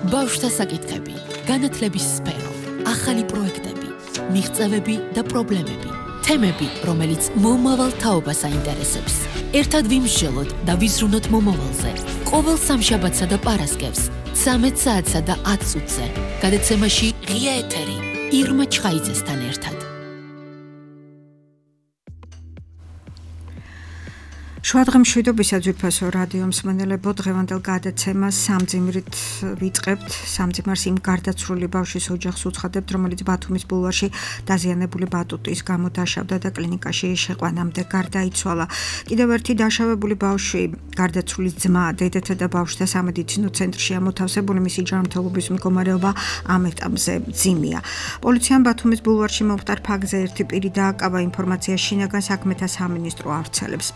ბავშვთა საკითხები, განათლების სფერო, ახალი პროექტები, მიღწევები და პრობლემები, თემები, რომელიც მომავალ თაობას აინტერესებს. ერთად ვიმსჯელოთ და ვიზრუნოთ მომავალზე. ყოველ სამშაბათსა და პარასკევს, 13 საათსა და 10 წუთზე. გადაცემაში ღია ეთერი, ირმა ჩხაიძესთან ერთად. შუადღე მშვიდობისას ვიფასო რადიო მსმენელებო, დღევანდელ გადაცემას სამძიმრით ვიწყებთ. სამძიმარს იმ გარდაცვლილი ბავშვის ოჯახს უცხადებთ, რომელიც ბათუმის ბულვარში დაზიანებული ბატუტის გამო დაშავდა და კლინიკაში შეყვანამდე გარდაიცვალა. კიდევ ერთი დაშავებული ბავშვი, გარდაცვლილი ძმა, დედათა და ბავშვთა სამედიცინო ცენტრშია მოთავსებული, მისი ჯანმრთელობის მდგომარეობა ამ ეტაპზე მძიმეა. პოლიციამ ბათუმის ბულვარში მომხდარ ფაქტზე ერთი პირი დააკავა, ინფორმაცია შინაგან საქმეთა სამინისტრო ავრცელებს.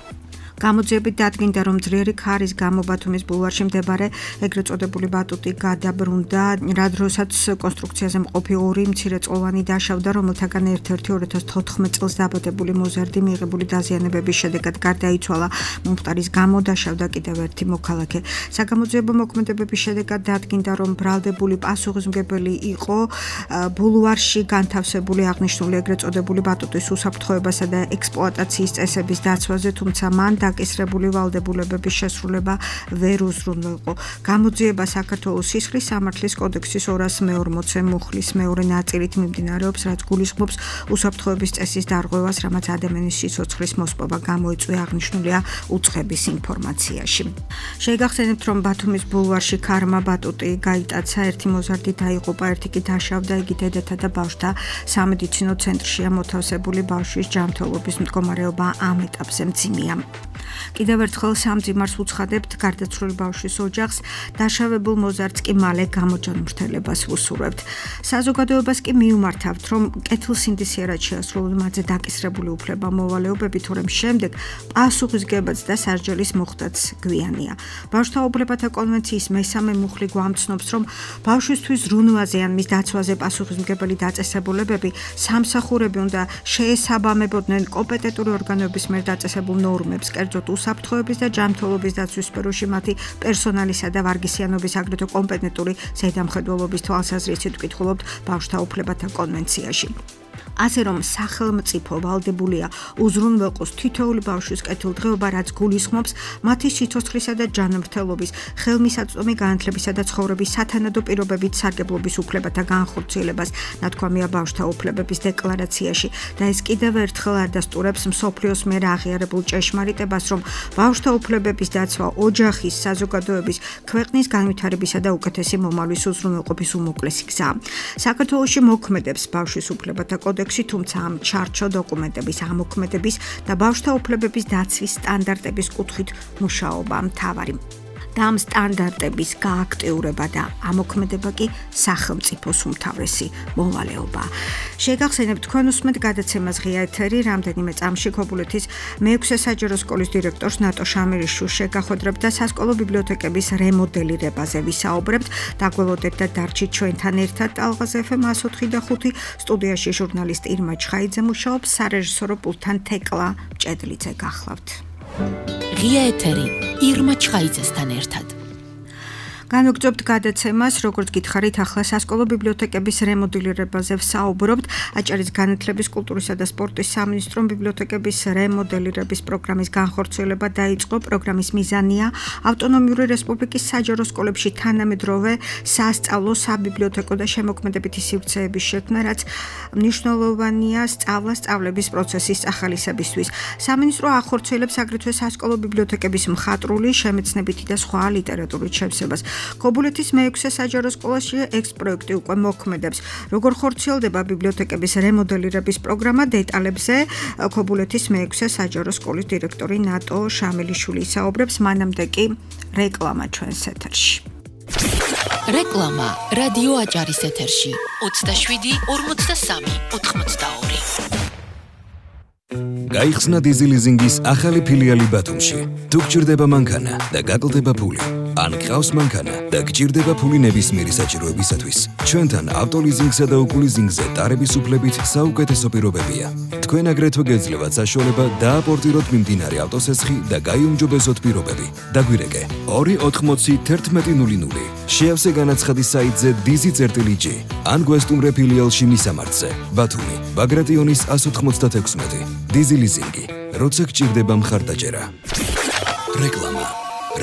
გამოძიებით დადგინდა, რომ ძლიერი ქარის გამო ბათუმის ბულვარში მდებარე ეგრეთ წოდებული ბატუტი გადაბრუნდა, რა დროსაც კონსტრუქციაზე მყოფი ორი მცირეწლოვანი დაშავდა, რომელთაგან ერთ-ერთი 2014 წელს დაბადებული მოზარდი მიღებული დაზიანებების შედეგად გარდაიცვალა. მომხდარის გამო დაშავდა კიდევ ერთი მოქალაქე. საგამოძიებო მოქმედებების შედეგად დადგინდა, რომ ბრალდებული პასუხისმგებელი იყო ბულვარში განთავსებული აღნიშნული ეგრეთ წოდებული ბატუტის უსაფრთხოებასა და ექსპლუატაციის წესების დაცვაზე, თუმცა მან დაკისრებული ვალდებულებების შესრულება ვერ უზრუნველყო. გამოძიება საქართველოს სისხლის სამართლის კოდექსის 240 მუხლის მეორე ნაწილით მიმდინარეობს, რაც გულისხმობს უსაფრთხოების წესის დარღვევას, რამაც ადამიანის სიცოცხლის მოსპობა გამოიწვია, აღნიშნულია უცხების ინფორმაციაში. შეგახსენებთ, რომ ბათუმის ბულვარში ქარმა ბატუტი გაიტაცა, ერთი მოზარდი დაიღუპა, ერთი კი დაშავდა, იგი დედათა და ბავშვთა სამედიცინო ცენტრშია მოთავსებული, ბავშვის ჯანმრთელობის მდგომარეობა ამ ეტაპზე მძიმეა. კიდევ ერთხელ სამძიმარს უცხადებთ გარდაცვლილი ბავშვის ოჯახს, დაშავებულ მოზარდს კი მალე გამოჯანმრთელებას ვუსურვებთ. საზოგადოებას კი მიუმართავთ, რომ კეთილსინდისიერად შეასრულოს მათზე დაკისრებული უფლება მოვალეობები, თორემ შემდეგ პასუხისგებაც და სასჯელის მოხდაც გვიანია. ბავშვთა უფლებათა კონვენციის მესამე მუხლი გვამცნობს, რომ ბავშვისთვის ზრუნვაზე ან მის დაცვაზე პასუხისმგებელი დაწესებულებები სამსახურები უნდა შეესაბამებოდნენ კომპეტენტური ორგანოების მიერ დაწესებულ ნორმებს, კერძოდ უსაფრთხოების და ჯანმრთელობის დაცვის სფეროში მათი პერსონალისა და ვარგისიანობის, აგრეთვე კომპეტენტური ზედამხედველობის თვალსაზრისით ვკითხულობთ ბავშვთა უფლებათა კონვენციაში. ასე რომ სახელმწიფო ვალდებულია უზრუნველყოს თითოეული ბავშვის კეთილდღეობა, რაც გულისხმობს მათი სიცოცხლისა და ჯანმრთელობის, ხელმისაწვდომი განათლებისა და ცხოვრების სათანადო პირობებით სარგებლობის უფლებათა განხორციელებას, ნათქვამია ბავშვთა უფლებების დეკლარაციაში და ეს კიდევ ერთხელ ადასტურებს მსოფლიოს მიერ აღიარებულ ჭეშმარიტებას, რომ ბავშვთა უფლებების დაცვა ოჯახის, საზოგადოების, ქვეყნის განვითარებისა და უკეთესი მომავლის უზრუნველყოფის უმოკლესი გზაა. საქართველოში მოქმედებს ბავშვის უფლებათა კოდექსი, თუმცა ამ ჩარჩო დოკუმენტების ამოქმედების და ბავშვთა უფლებების დაცვის სტანდარტების კუთხით მუშაობა მთავარი. და ამ სტანდარტების გააქტიურება და ამოქმედება კი სახელმწიფოს უმთავრესი მოვალეობა. შეგახსენებთ, თქვენ უსმენთ გადაცემას ღია ეთერი, რამდენიმე წამში ქობულეთის მე-6 საჯარო სკოლის დირექტორს ნატო შამირიშვილს შეგახვედრებთ და სასკოლო ბიბლიოთეკების რემოდელირებაზე ვისაუბრებთ. დაგველოდეთ და დარჩით ჩვენთან ერთად. ტალღაზე FM 104 და 5 სტუდიაში ჟურნალისტი ირმა ჩხაიძე მუშაობს, სარეჟისორო პულტთან თეკლა მჭედლიძე გახლავთ. ღია ეთერი, ირმა ჩხაიძესთან ერთად. განვაგრძობთ გადაცემას, როგორც გითხარით, ახლა სასკოლო ბიბლიოთეკების რემოდელირებაზე ვსაუბრობთ. აჭარის განათლების, კულტურისა და სპორტის სამინისტრომ ბიბლიოთეკების რემოდელირების პროგრამის განხორციელება დაიწყო. პროგრამის მიზანია ავტონომიური რესპუბლიკის საჯარო სკოლებში თანამედროვე სასწავლო, საბიბლიოთეკო და შემოქმედებითი სივრცეების შექმნა, რაც მნიშვნელოვანია სწავლების პროცესის ახალისებისთვის. სამინისტრო ახორციელებს აგრეთვე სასკოლო ბიბლიოთეკების მხატვრული, შემეცნებითი და სხვა ლიტერატურით შევსებას. ქობულეთის მე-6 საჯარო სკოლაში ექს-პროექტი უკვე მოქმედებს. როგორ ხორციელდება ბიბლიოთეკების რემოდელირების პროგრამა, დეტალებზე ქობულეთის მე-6 საჯარო სკოლის დირექტორი ნატო შამილიშვილი ისაუბრებს, მანამდე კი რეკლამა ჩვენს ეთერში. რეკლამა რადიო აჭარის ეთერში 27 43 82. გაიხსნა Dizzy Leasing-ის ახალი ფილიალი ბათუმში. თუ გჭირდება მანქანა და გაკლდება ფული, ან გყავს მანქანა და გჭირდება ფული ნებისმიერი საჭიროებისათვის, ჩვენთან ავტოლიზინგსა და უკულიზინგზე ტარების უფლებით საუკეთესო პირობებია. თქვენ აგრეთვე გეძლევათ საშუალება დააპორტიროთ მიმდინარე ავტოსესხი და გაიუმჯობესოთ პირობები. დაგვირეკე 280 1100. შეავსე განაცხადის საიტზე Dizzy.g ან გვესტუმრე ფილიალში მისამართზე. ბათუმი, ბაგრატიონის 196. Dizzy Leasing-ი, როცა გჭირდება მხარდაჭერა. რეკლამა.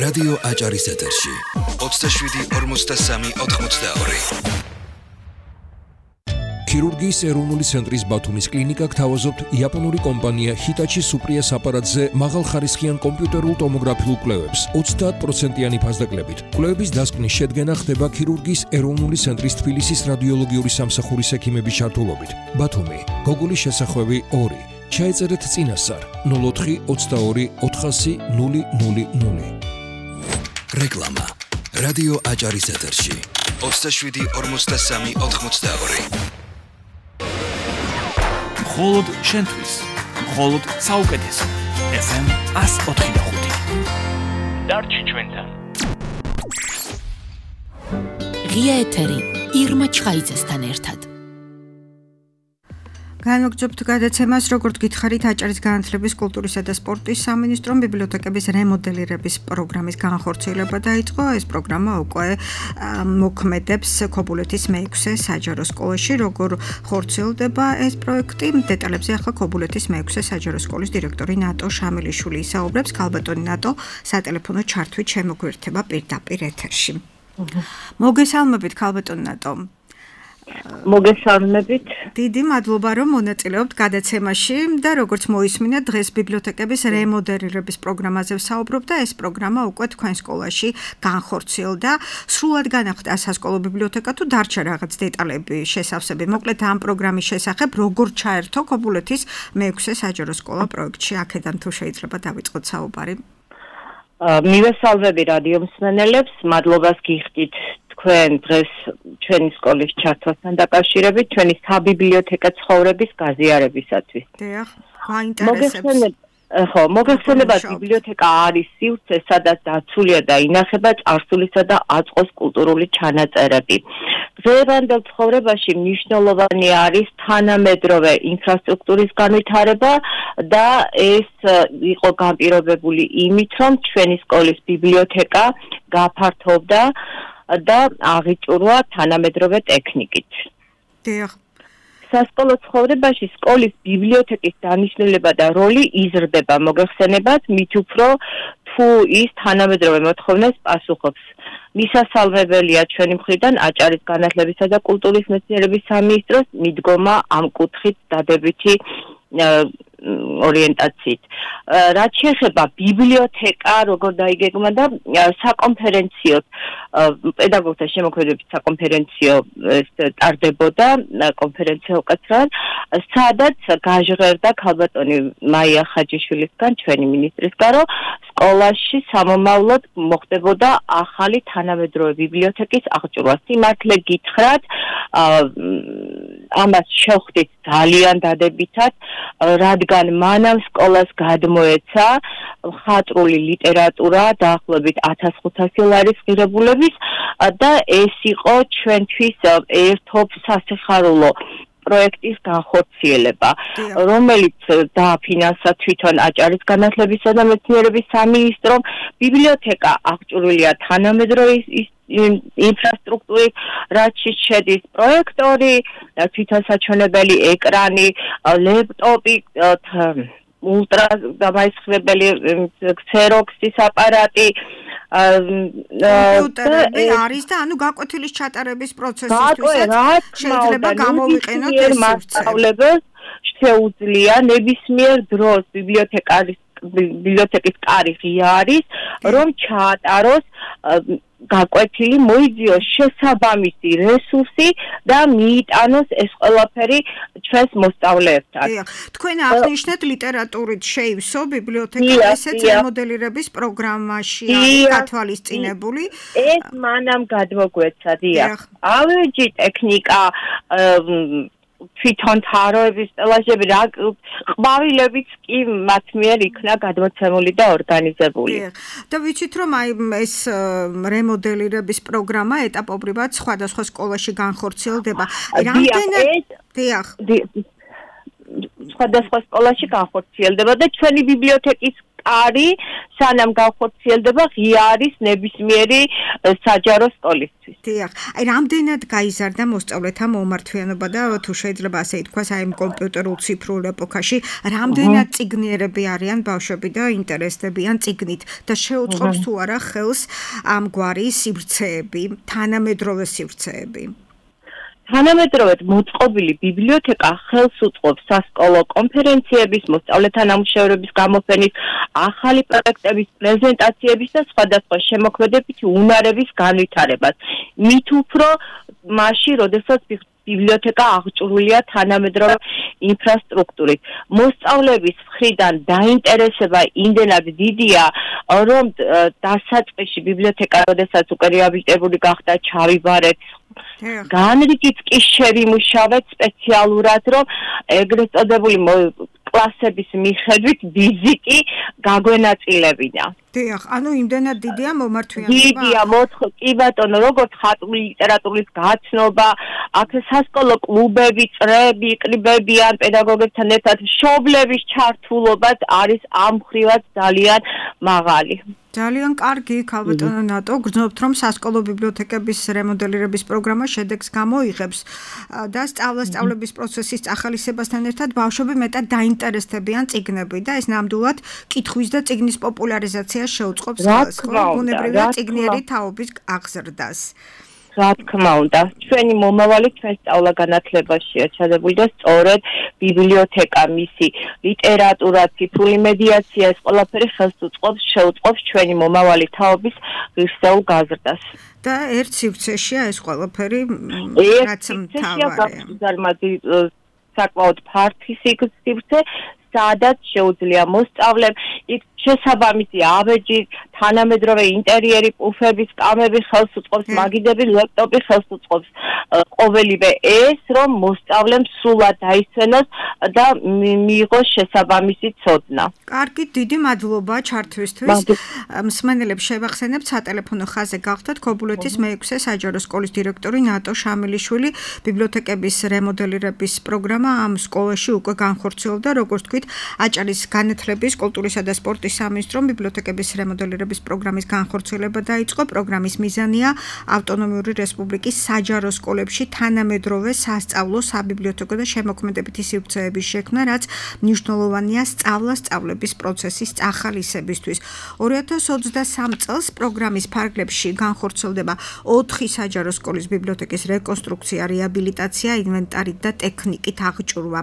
რადიო აჭარის ეთერში 27-43-82. ქირურგიის ეროვნული ცენტრის ბათუმის კლინიკა გთავაზობთ იაპონური კომპანია Hitachi Supriya აპარატზე მაღალხარისხიან კომპიუტერულ ტომოგრაფიულ კვლევებს 30%-იანი ფასდაკლებით. კვლევების დასკვნის შედგენა ხდება ქირურგიის ეროვნული ცენტრის თბილისის რადიოლოგიური სამსახურის ექიმების ჩართულობით. ბათუმი, გოგულის შესახვევი 2. ჩაეწერეთ წინასწარ 04 22 400 000. რეკლამა. რადიო აჭარის ეთერში 27-43-82. მხოლოდ შენთვის, მხოლოდ საუკეთესო. FM 104.5. დარჩი ჩვენთან. ღია ეთერი ირმა ჩხაიძესთან ერთად. განვაგრძობთ გადაცემას, როგორც გითხარით, აჭარის განათლების, კულტურისა და სპორტის სამინისტრომ ბიბლიოთეკების რემოდელირების პროგრამის განხორციელება დაიწყო. ეს პროგრამა უკვე მოქმედებს ქობულეთის მე-6 საჯარო სკოლაში. როგორ ხორციელდება ეს პროექტი? დეტალებზე ახლა ქობულეთის მე-6 საჯარო სკოლის დირექტორი ნატო შამილიშვილი ისაუბრებს. ქალბატონი ნატო სატელეფონო ჩართვით შემოგვერთება პირდაპირ ეთერში. მოგესალმებით, ქალბატონი ნატო. მოგესალმებით. დიდი მადლობა, რომ მონაწილეობთ გადაცემაში და როგორც მოისმინა, დღეს ბიბლიოთეკების რემოდელირების პროგრამაზე ვსაუბრობ და ეს პროგრამა უკვე თქვენ სკოლაში განხორციელდა. სრულად განახლდა სასკოლო ბიბლიოთეკა თუ დარჩა რაღაც დეტალები, შესავსები? მოკლედ ამ პროგრამის შესახებ, როგორ ჩაერთო ქობულეთის მე-6 საჯარო სკოლა პროექტში, აქედან თუ შეიძლება დავიწყოთ საუბარი. მივესალმები რადიო მსმენელებს, მადლობას გიხდით თქვენ დღეს ჩვენი სკოლის ჩართვასთან დაკავშირებით, ჩვენი საბიბლიოთეკა ცხოვრების გაზიარებისათვის. დიახ, გაინტერესებს. მოგეხსენებათ, ბიბლიოთეკა არის სივრცე, სადაც დაცულია და ინახება წარსულისა და აწყოს კულტურული ჩანაწერები. დღევანდელ ცხოვრებაში მნიშვნელოვანი არის თანამედროვე ინფრასტრუქტურის განვითარება და ეს იყო განპირობებული იმით, რომ ჩვენი სკოლის ბიბლიოთეკა გაფართოვდა და აღიჭურვა თანამედროვე ტექნიკით. დიახ. სასკოლო ცხოვრებაში სკოლის ბიბლიოთეკის დანიშნულება და როლი იზრდება, მოგეხსენებათ, მით უფრო თუ ის თანამედროვე მოთხოვნას პასუხობს. მისასალმებელია ჩვენი მხრიდან აჭარის განათლებისა და კულტურის მეცნიერების სამინისტროს მიდგომა ამ კუთხით დადებითი ორიენტაციით. რაც შეეხება ბიბლიოთეკა, როგორ დაიგეგმა და საკონფერენციო პედაგოგთა შემოქმედებით საკონფერენციო ტარდებოდა კონფერენცია უკაცრავად, სადაც გაჟღერდა ქალბატონი მაია ხაჯიშვილისგან, ჩვენი მინისტრისგან, რომ სკოლაში სამომავლოდ მოხდებოდა ახალი თანამედროვე ბიბლიოთეკის აღჭურვა. სიმართლე გითხრათ, ამას შევხვდით ძალიან დადებითად, რადგან მანამ სკოლას გადმოეცა მხატვრული ლიტერატურა დაახლოებით 1500 ლარის ღირებულების და ეს იყო ჩვენთვის ერთობ სასიხარულო პროექტის განხორციელება, რომელიც დააფინანსა თვითონ აჭარის განათლებისა და მეცნიერების სამინისტრომ. ბიბლიოთეკა აღჭურვილია თანამედროვე ინფრასტრუქტურით, რაც შედის პროექტორი, თვითონ საჩვენებელი ეკრანი, ლეპტოპი, ულტრა დამაისხლებელი ქსეროქსის აპარატი, კომპიუტერები არის და ანუ გაკვეთილის ჩატარების პროცესისთვისაც შეიძლება გამოვიყენოთ ეს სივრცე. შეუძლია ნებისმიერ დროს ბიბლიოთეკის კარი ღია არის, რომ ჩაატაროს გაკვეთილი, მოიძიოს შესაბამისი რესურსი და მიიტანოს ეს ყველაფერი ჩვენს მოსწავლეებთან. თქვენ აღნიშნეთ ლიტერატურით შეივსო ბიბლიოთეკა, ესეც რემოდელირების პროგრამაში არის გათვალისწინებული. ეს მანამ გადმოგვეცა, დიახ. ავეჯი ტექნიკა თვითონ თაროების სტელაჟები რა ყვავილებიც კი მათ მიერ იქნა გადმოცემული და ორგანიზებული. და ვიცით რომ აი ეს რემოდელირების პროგრამა ეტაპობრივად სხვადასხვა სკოლაში განხორციელდება. რამდენად სხვადასხვა სკოლაში განხორციელდება და ჩვენი ბიბლიოთეკის კარი სანამ განხორციელდება ღია არის ნებისმიერი საჯარო სკოლისთვის. დიახ, აი რამდენად გაიზარდა მოსწავლეთა მომართვიანობა და თუ შეიძლება ასე ითქვას, აი კომპიუტერულ ციფრულ ეპოქაში რამდენად წიგნიერები არიან ბავშვები და ინტერესდებიან წიგნით და შეუწყობს თუ არა ხელს ამგვარი სივრცეები, თანამედროვე სივრცეები. თანამედროვედ მოწყობილი ბიბლიოთეკა ხელს უწყობს სასკოლო კონფერენციების, მოსწავლეთა ნამუშევრების გამოფენის, ახალი პროექტების, პრეზენტაციების და სხვადასხვა შემოქმედებითი უნარების განვითარებას. მით უფრო მასში, როდესაც ბიბლიოთეკა აღჭურვილია თანამედროვე ინფრასტრუქტურით. მოსწავლების მხრიდან დაინტერესება იმდენად დიდია, რომ დასაწყისში ბიბლიოთეკა, როდესაც უკვე რეაბილიტირებული გახდა, ჩავიბარეთ. განრიგით კი შევიმუშავეთ სპეციალურად, რომ ეგრეთ წოდებული კლასების მიხედვით ვიზიტი გაგვენაწილებინა. დიახ, ანუ იმდენად დიდია მომართვიანობა. დიდია, კი ბატონო, როგორც ხატული ლიტერატურის გაცნობა, აქ სასკოლო კლუბები, წრეები იყრიბებიან პედაგოგებთან ერთად, მშობლების ჩართულობაც არის ამ მხრივაც ძალიან მაღალი. ძალიან კარგი, ქალბატონო ნატო, გრძნობთ რომ სასკოლო ბიბლიოთეკების რემოდელირების პროგრამა შედეგს გამოიღებს და სწავლების პროცესის ახალისებასთან ერთად ბავშვები მეტად დაინტერესდებიან წიგნები და ეს ნამდვილად კითხვის და წიგნის პოპულარიზაციას შეუწყობს ბუნებრივია წიგნიერი თაობის აღზრდას. რა თქმა უნდა, ჩვენი მომავალი ჩვენ სწავლა-განათლებაშია ჩადებული და სწორედ ბიბლიოთეკა, მისი ლიტერატურა, ციფრული მედიაცია, ეს ყველაფერი ხელს შეუწყობს ჩვენი მომავალი თაობის ღირსეულ გაზრდას. და ერთ სივრცეშია ეს ყველაფერი, რაც მთავარია. საკმაოდ ფართი სივრცე, სადაც შეუძლია მოსწავლემ იქ შესაბამისი ავეჯი, თანამედროვე ინტერიერი, პუფები, სკამები ხელს უწყობს, მაგიდები, ლეპტოპი ხელს უწყობს. ყოველივე ეს, რომ მოსწავლემ სრულად დაისვენოს და მიიღოს შესაბამისი ცოდნა. კარგი, დიდი მადლობა ჩართვისთვის. მსმენელებს შევახსენებთ, სატელეფონო ხაზზე გახდათ ქობულეთის მე-6 საჯარო სკოლის დირექტორი ნატო შამილიშვილი. ბიბლიოთეკების რემოდელირების პროგრამა ამ სკოლაში უკვე განხორციელდა, როგორც თქვით, აჭარის განათლების, კულტურისა და სპორტის სამინისტრომ ბიბლიოთეკების რემოდელირების პროგრამის განხორციელება დაიწყო. პროგრამის მიზანია ავტონომიური რესპუბლიკის საჯარო სკოლებში თანამედროვე სასწავლო, საბიბლიოთეკო და შემოქმედებითი სივრცეების შექმნა, რაც მნიშვნელოვანია სწავლების პროცესის ახალისებისთვის. 2023 წელს პროგრამის ფარგლებში განხორციელდება 4 საჯარო სკოლის ბიბლიოთეკის რეკონსტრუქცია, რეაბილიტაცია, ინვენტარით და ტექნიკით აღჭურვა.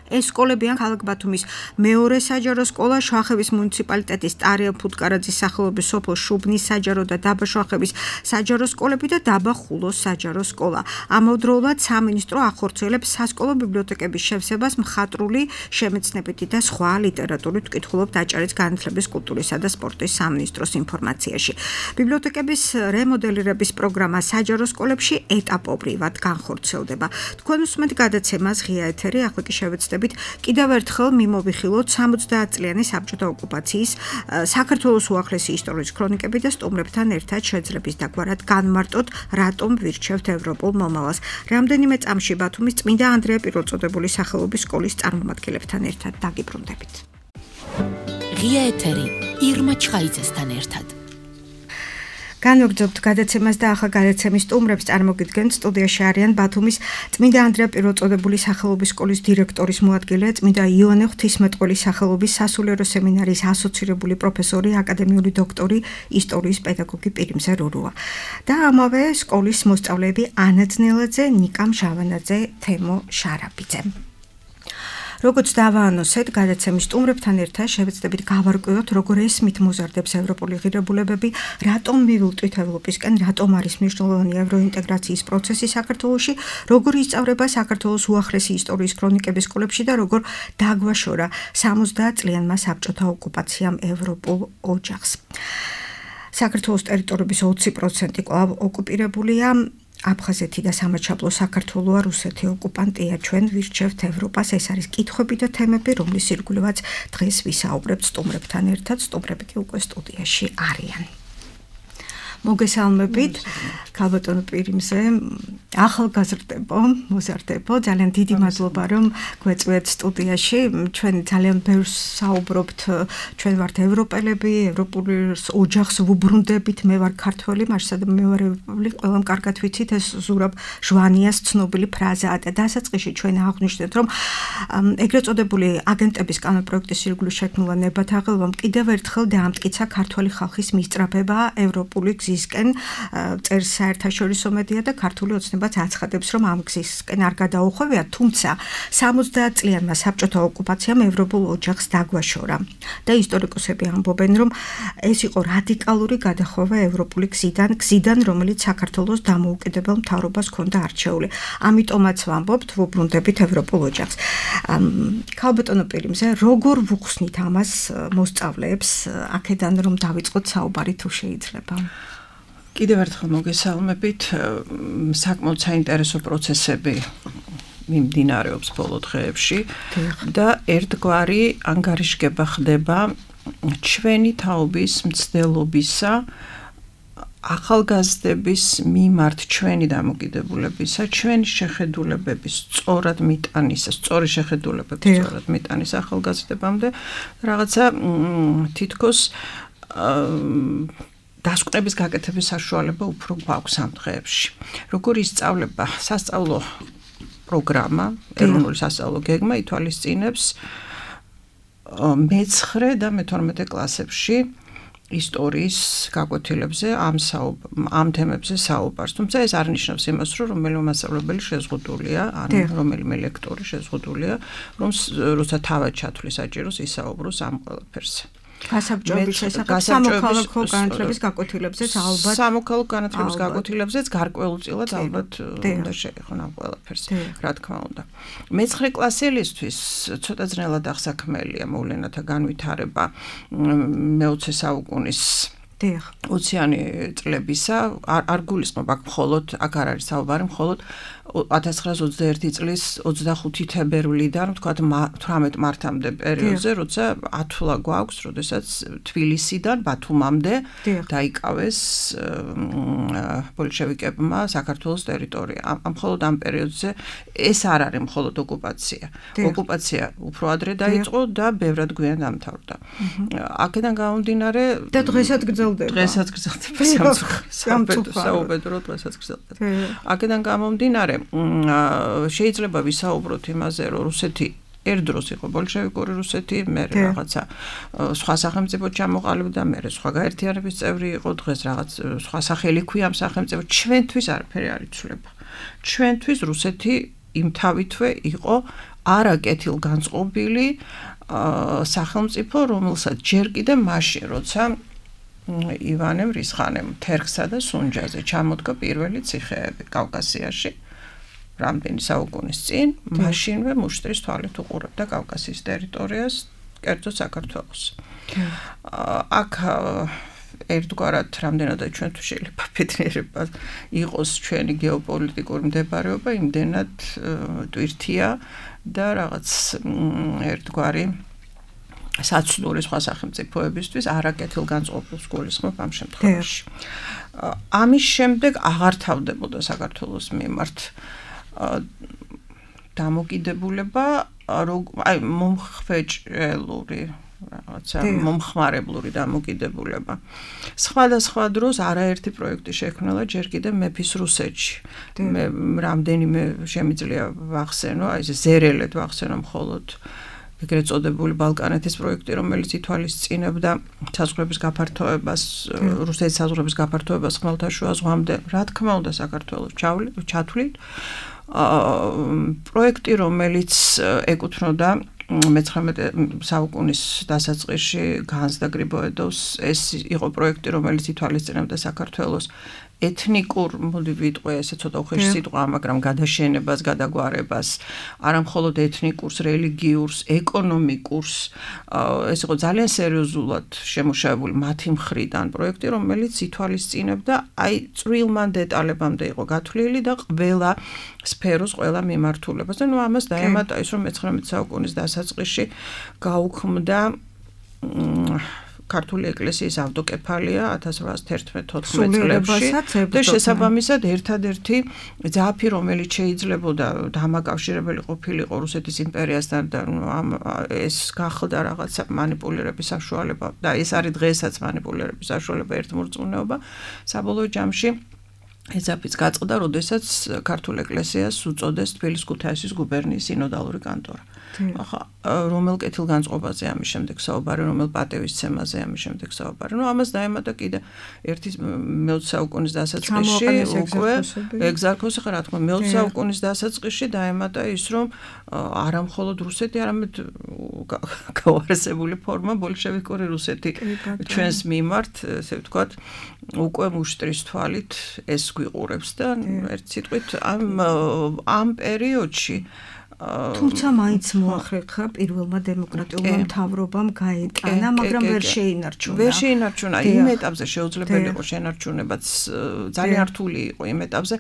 ეს სკოლებიან ქალაქ ბათუმის მეორე საჯარო სკოლა, შვახების მუნიციპალიტეტის ტარიელ ფუტკარაძის სახელობის სოფელ შუბნის საჯარო და დაბა შვახების საჯარო სკოლები და დაბა ხულოს საჯარო სკოლა. ამავდროულად სამინისტრო ახორციელებს სასკოლო ბიბლიოთეკების შევსებას მხატვრული, შემეცნებითი და სხვა ლიტერატურით ვკითხულობთ აჭარის განათლების, კულტურისა და სპორტის სამინისტროს ინფორმაციაში. ბიბლიოთეკების რემოდელირების პროგრამა საჯარო სკოლებში ეტაპობრივად განხორციელდება. თქვენ უსმენთ გადაცემას ღია ეთერი, ახლა კი შევეცდებით კიდევ ერთხელ მიმოვიხილოთ 70 წლიანი საბჭოთა ოკუპაციის საქართველოს უახლესი ისტორიის ქრონიკები და სტუმრებთან ერთად შეძლების დაგვარად განმარტოთ, რატომ ვირჩევთ ევროპულ მომავალს. რამდენიმე წამში ბათუმის წმინდა ანდრია პირველწოდებულის სახელობის სკოლის წარმომადგენლებთან ერთად დაგიბრუნდებით. ღია ეთერი ირმა ჩხაიძესთან ერთად. განვაგრძობთ გადაცემას და ახლა გადაცემის სტუმრებს წარმოგიდგენთ. სტუდიაში არიან ბათუმის წმინდა ანდრია პირველწოდებულის სახელობის სკოლის დირექტორის მოადგილე, წმინდა იოანე ღვთისმეტყველის სახელობის სასულიერო სემინარიის ასოცირებული პროფესორი, აკადემიური დოქტორი, ისტორიის პედაგოგი პირიმზე რურუა და ამავე სკოლის მოსწავლეები ანა ძნელაძე, ნიკა მჟავანაძე, თემო შარაბიძე. როგორც დავაანონსეთ, გადაცემის სტუმრებთან ერთად შევეცდებით გავარკვიოთ, როგორ ესმით მოზარდებს ევროპული ღირებულებები, რატომ მივილტვით ევროპისკენ, რატომ არის მნიშვნელოვანი ევროინტეგრაციის პროცესი საქართველოში, როგორ ისწავლება საქართველოს უახლესი ისტორიის ქრონიკების სკოლებში და როგორ დაგვაშორა 70 წლიანმა საბჭოთა ოკუპაციამ ევროპულ ოჯახს. საქართველოს ტერიტორიების 20% კვლავ ოკუპირებულია. აფხაზეთი და სამაჩაბლო საქართველოა, რუსეთი ოკუპანტია, ჩვენ ვირჩევთ ევროპას. ეს არის კითხვები და თემები, რომლის ირგვლივაც დღეს ვისაუბრებთ სტუმრებთან ერთად. სტუმრები კი უკვე სტუდიაში არიან. მოგესალმებით, ქალბატონო პირიმზე, ახალგაზრდებო, მოზარდებო, ძალიან დიდი მადლობა, რომ გვეწვიეთ სტუდიაში. ჩვენ ძალიან ბევრს საუბრობთ, ჩვენ ვართ ევროპელები, ევროპული ოჯახს ვუბრუნდებით, მე ვარ ქართველი, მაშინ მე ვარ ევროპელი, ყველამ კარგად ვიცით, ეს ზურაბ ჟვანიას ცნობილი ფრაზაა და დასაწყისში ჩვენ აღვნიშნეთ, რომ ეგრეთ წოდებული აგენტების კანონპროექტის ირგვლივ შექმნილა ნებათაღელვამ კიდევ ერთხელ დაამტკიცა ქართველი ხალხის მისწრაფება ევროპული გზისკენ, წერს საერთაშორისო მედია და ქართული ოცნებაც აცხადებს, რომ ამ გზისკენ არ გადაუხვევია, თუმცა 70 წლიანმა საბჭოთა ოკუპაციამ ევროპულ ოჯახს დაგვაშორა და ისტორიკოსები ამბობენ, რომ ეს იყო რადიკალური გადახვევა ევროპული გზიდან, რომელიც საქართველოს დამოუკიდებელ მთავრობას ჰქონდა არჩეული. ამიტომაც ვამბობთ, ვუბრუნდებით ევროპულ ოჯახს. ქალბატონო პირიმზე, როგორ ვუხსნით ამას მოსწავლეებს, აქედან რომ დავიწყოთ საუბარი თუ შეიძლება? კიდევ ერთხელ მოგესალმებით, საკმაოდ საინტერესო პროცესები მიმდინარეობს ბოლო დღეებში და ერთგვარი ანგარიშგება ხდება ჩვენი თაობის მცდელობისა ახალგაზრდების მიმართ ჩვენი დამოკიდებულებისა, ჩვენი შეხედულებების სწორად მიტანისა, სწორი შეხედულებების სწორად მიტანის ახალგაზრდებამდე, რაღაცა თითქოს დასკვნების გაკეთების საშუალება უფრო გვაქვს ამ დღეებში. როგორ ისწავლება სასწავლო პროგრამა, ეროვნული სასწავლო გეგმა ითვალისწინებს მე-9 და მე-12 კლასებში ისტორიის გაკვეთილებზე ამ თემებზე საუბარს. თუმცა ეს არ ნიშნავს იმას, რომ რომელიმე მასწავლებელი შეზღუდულია, ან რომელიმე ლექტორი შეზღუდულია, როცა თავად ჩათვლის საჭიროს ისაუბროს ამ ყველაფერზე. გასაბჭოების შესახებ სამოქალაქო განათლების გაკვეთილებზეც ალბათ სამოქალაქო განათლების გაკვეთილებზეც გარკვეულწილად ალბათ უნდა შეეხონ ამ ყველაფერს, რა თქმა უნდა. მე-9 კლასელისთვის ცოტა ძნელად აღსაქმელია მოვლენათა განვითარება მე-20 საუკუნის 20-იანი წლებისა, არ გულისხმობ აქ მხოლოდ, აქ არ არის საუბარი, მხოლოდ 1921 წლის 25 თებერვლიდან, ვთქვათ 18 მარტამდე პერიოდზე, როცა ათვლა გვაქვს, როდესაც თბილისიდან ბათუმამდე დაიკავეს ბოლშევიკებმა საქართველოს ტერიტორია. მხოლოდ ამ პერიოდზე ეს არ არის მხოლოდ ოკუპაცია. ოკუპაცია უფრო ადრე დაიწყო და ბევრად გვიან დამთავრდა. აქედან გამომდინარე და დღესაც გრძელდება. დღესაც გრძელდება საუბედრო დღესაც გრძელდება. აქედან გამომდინარე შეიძლება ვისაუბროთ იმაზე, რომ რუსეთი ერთ დროს იყო ბოლშევიკური რუსეთი, მერე რაღაცა სხვა სახელმწიფო ჩამოყალიბდა, მერე სხვა გაერთიანების წევრი იყო, დღეს რაღაც სხვა სახელი ქვია ამ სახელმწიფოს. ჩვენთვის არაფერი არ იცვლება. ჩვენთვის რუსეთი იმთავითვე იყო არაკეთილგანწყობილი სახელმწიფო, რომელსაც ჯერ კიდე მაშინ, როცა ივანე მრისხანემ თერგსა და სუნჯაზე ჩამოდგა პირველი ციხეები კავკასიაში, რამდენი საუკუნის წინ, მაშინვე მუშტრის თვალით უყურებდა კავკასიის ტერიტორიას, კერძოდ საქართველოს. აქ ერთგვარად რამდენადაც ჩვენთვის შეიძლება ბედნიერება იყოს ჩვენი გეოპოლიტიკური მდებარეობა, იმდენად ტვირთია და რაღაც ერთგვარი საცნური სხვა სახელმწიფოებისთვის არაკეთილგანწყობილს გულისხმობ ამ შემთხვევაში. ამის შემდეგ აღარ თავდებოდა საქართველოს მიმართ დამოკიდებულება, აი მომხვეჭელური რაღაცა მომხმარებლური დამოკიდებულება. სხვადასხვა დროს არაერთი პროექტი შექმნილა ჯერ კიდევ მეფის რუსეთში. მე რამდენიმე შემიძლია ვახსენო, აი ეს ზერელად ვახსენო მხოლოდ ეგრეთ წოდებული ბალკანეთის პროექტი, რომელიც ითვალისწინებდა საზღვრების გაფართოებას, რუსეთის საზღვრების გაფართოებას ხმელთაშუა ზღვამდე, რა თქმა უნდა საქართველოს ჩათვლით. პროექტი, რომელიც ეკუთვნოდა მე-19 საუკუნის დასაწყისში განს და გრიბოედოვს, ეს იყო პროექტი, რომელიც ითვალისწინებდა საქართველოს ეთნიკურ, მოდი ვიტყვე ესე ცოტა უხეში სიტყვა, მაგრამ გადაშენებას, გადაგვარებას, არა მხოლოდ ეთნიკურს, რელიგიურს, ეკონომიკურს, ეს იყო ძალიან სერიოზულად შემუშავებული მათი მხრიდან პროექტი, რომელიც ითვალისწინებდა აი წვრილმან დეტალებამდე იყო გათვლილი და ყველა სფეროს, ყველა მიმართულებას. და ნუ ამას დაემატა ის, რომ 19 საუკუნის დასაწყისში გაუქმდა ქართული ეკლესიის ავტოკეფალია 1811-14 წლებში და შესაბამისად ერთადერთი ძაფი, რომელიც შეიძლებოდა დამაკავშირებელი ყოფილიყო რუსეთის იმპერიასთან და ეს გახლდა რაღაცა მანიპულირების საშუალება და ეს არის დღესაც მანიპულირების საშუალება ერთმორწმუნეობა საბოლოო ჯამში ეძაფიც გაწყდა, როდესაც ქართულ ეკლესიას უწოდეს თბილისის ქუთაისის გუბერნიის სინოდალური კანტორა. ახლა რომელ კეთილგანწყობაზე ამის შემდეგ საუბარი, რომელ პატევისცემაზე ამის შემდეგ საუბარი. ნუ ამას დაემატა კიდე ერთი მე-20 საუკუნის დასაწყისში უკვე ეგზარქოსი ხარ, რა თქმა უნდა, მე-20 საუკუნის დასაწყისში დაემატა ის, რომ არა მხოლოდ რუსეთი, არამედ გაუარესებული ფორმა ბოლშევიკური რუსეთი ჩვენს მიმართ, ესე ვთქვათ, უკვე მუშტრის თვალით ეს გვიყურებს და ერთ სიტყვით ამ პერიოდში თუმცა მაინც მოახერხა პირველმა დემოკრატიულმა მთავრობამ გაეტანა, მაგრამ ვერ შეინარჩუნა. ვერ შეინარჩუნა. იმ ეტაპზე შეუძლებელი იყო შენარჩუნებაც ძალიან რთული იყო იმ ეტაპზე.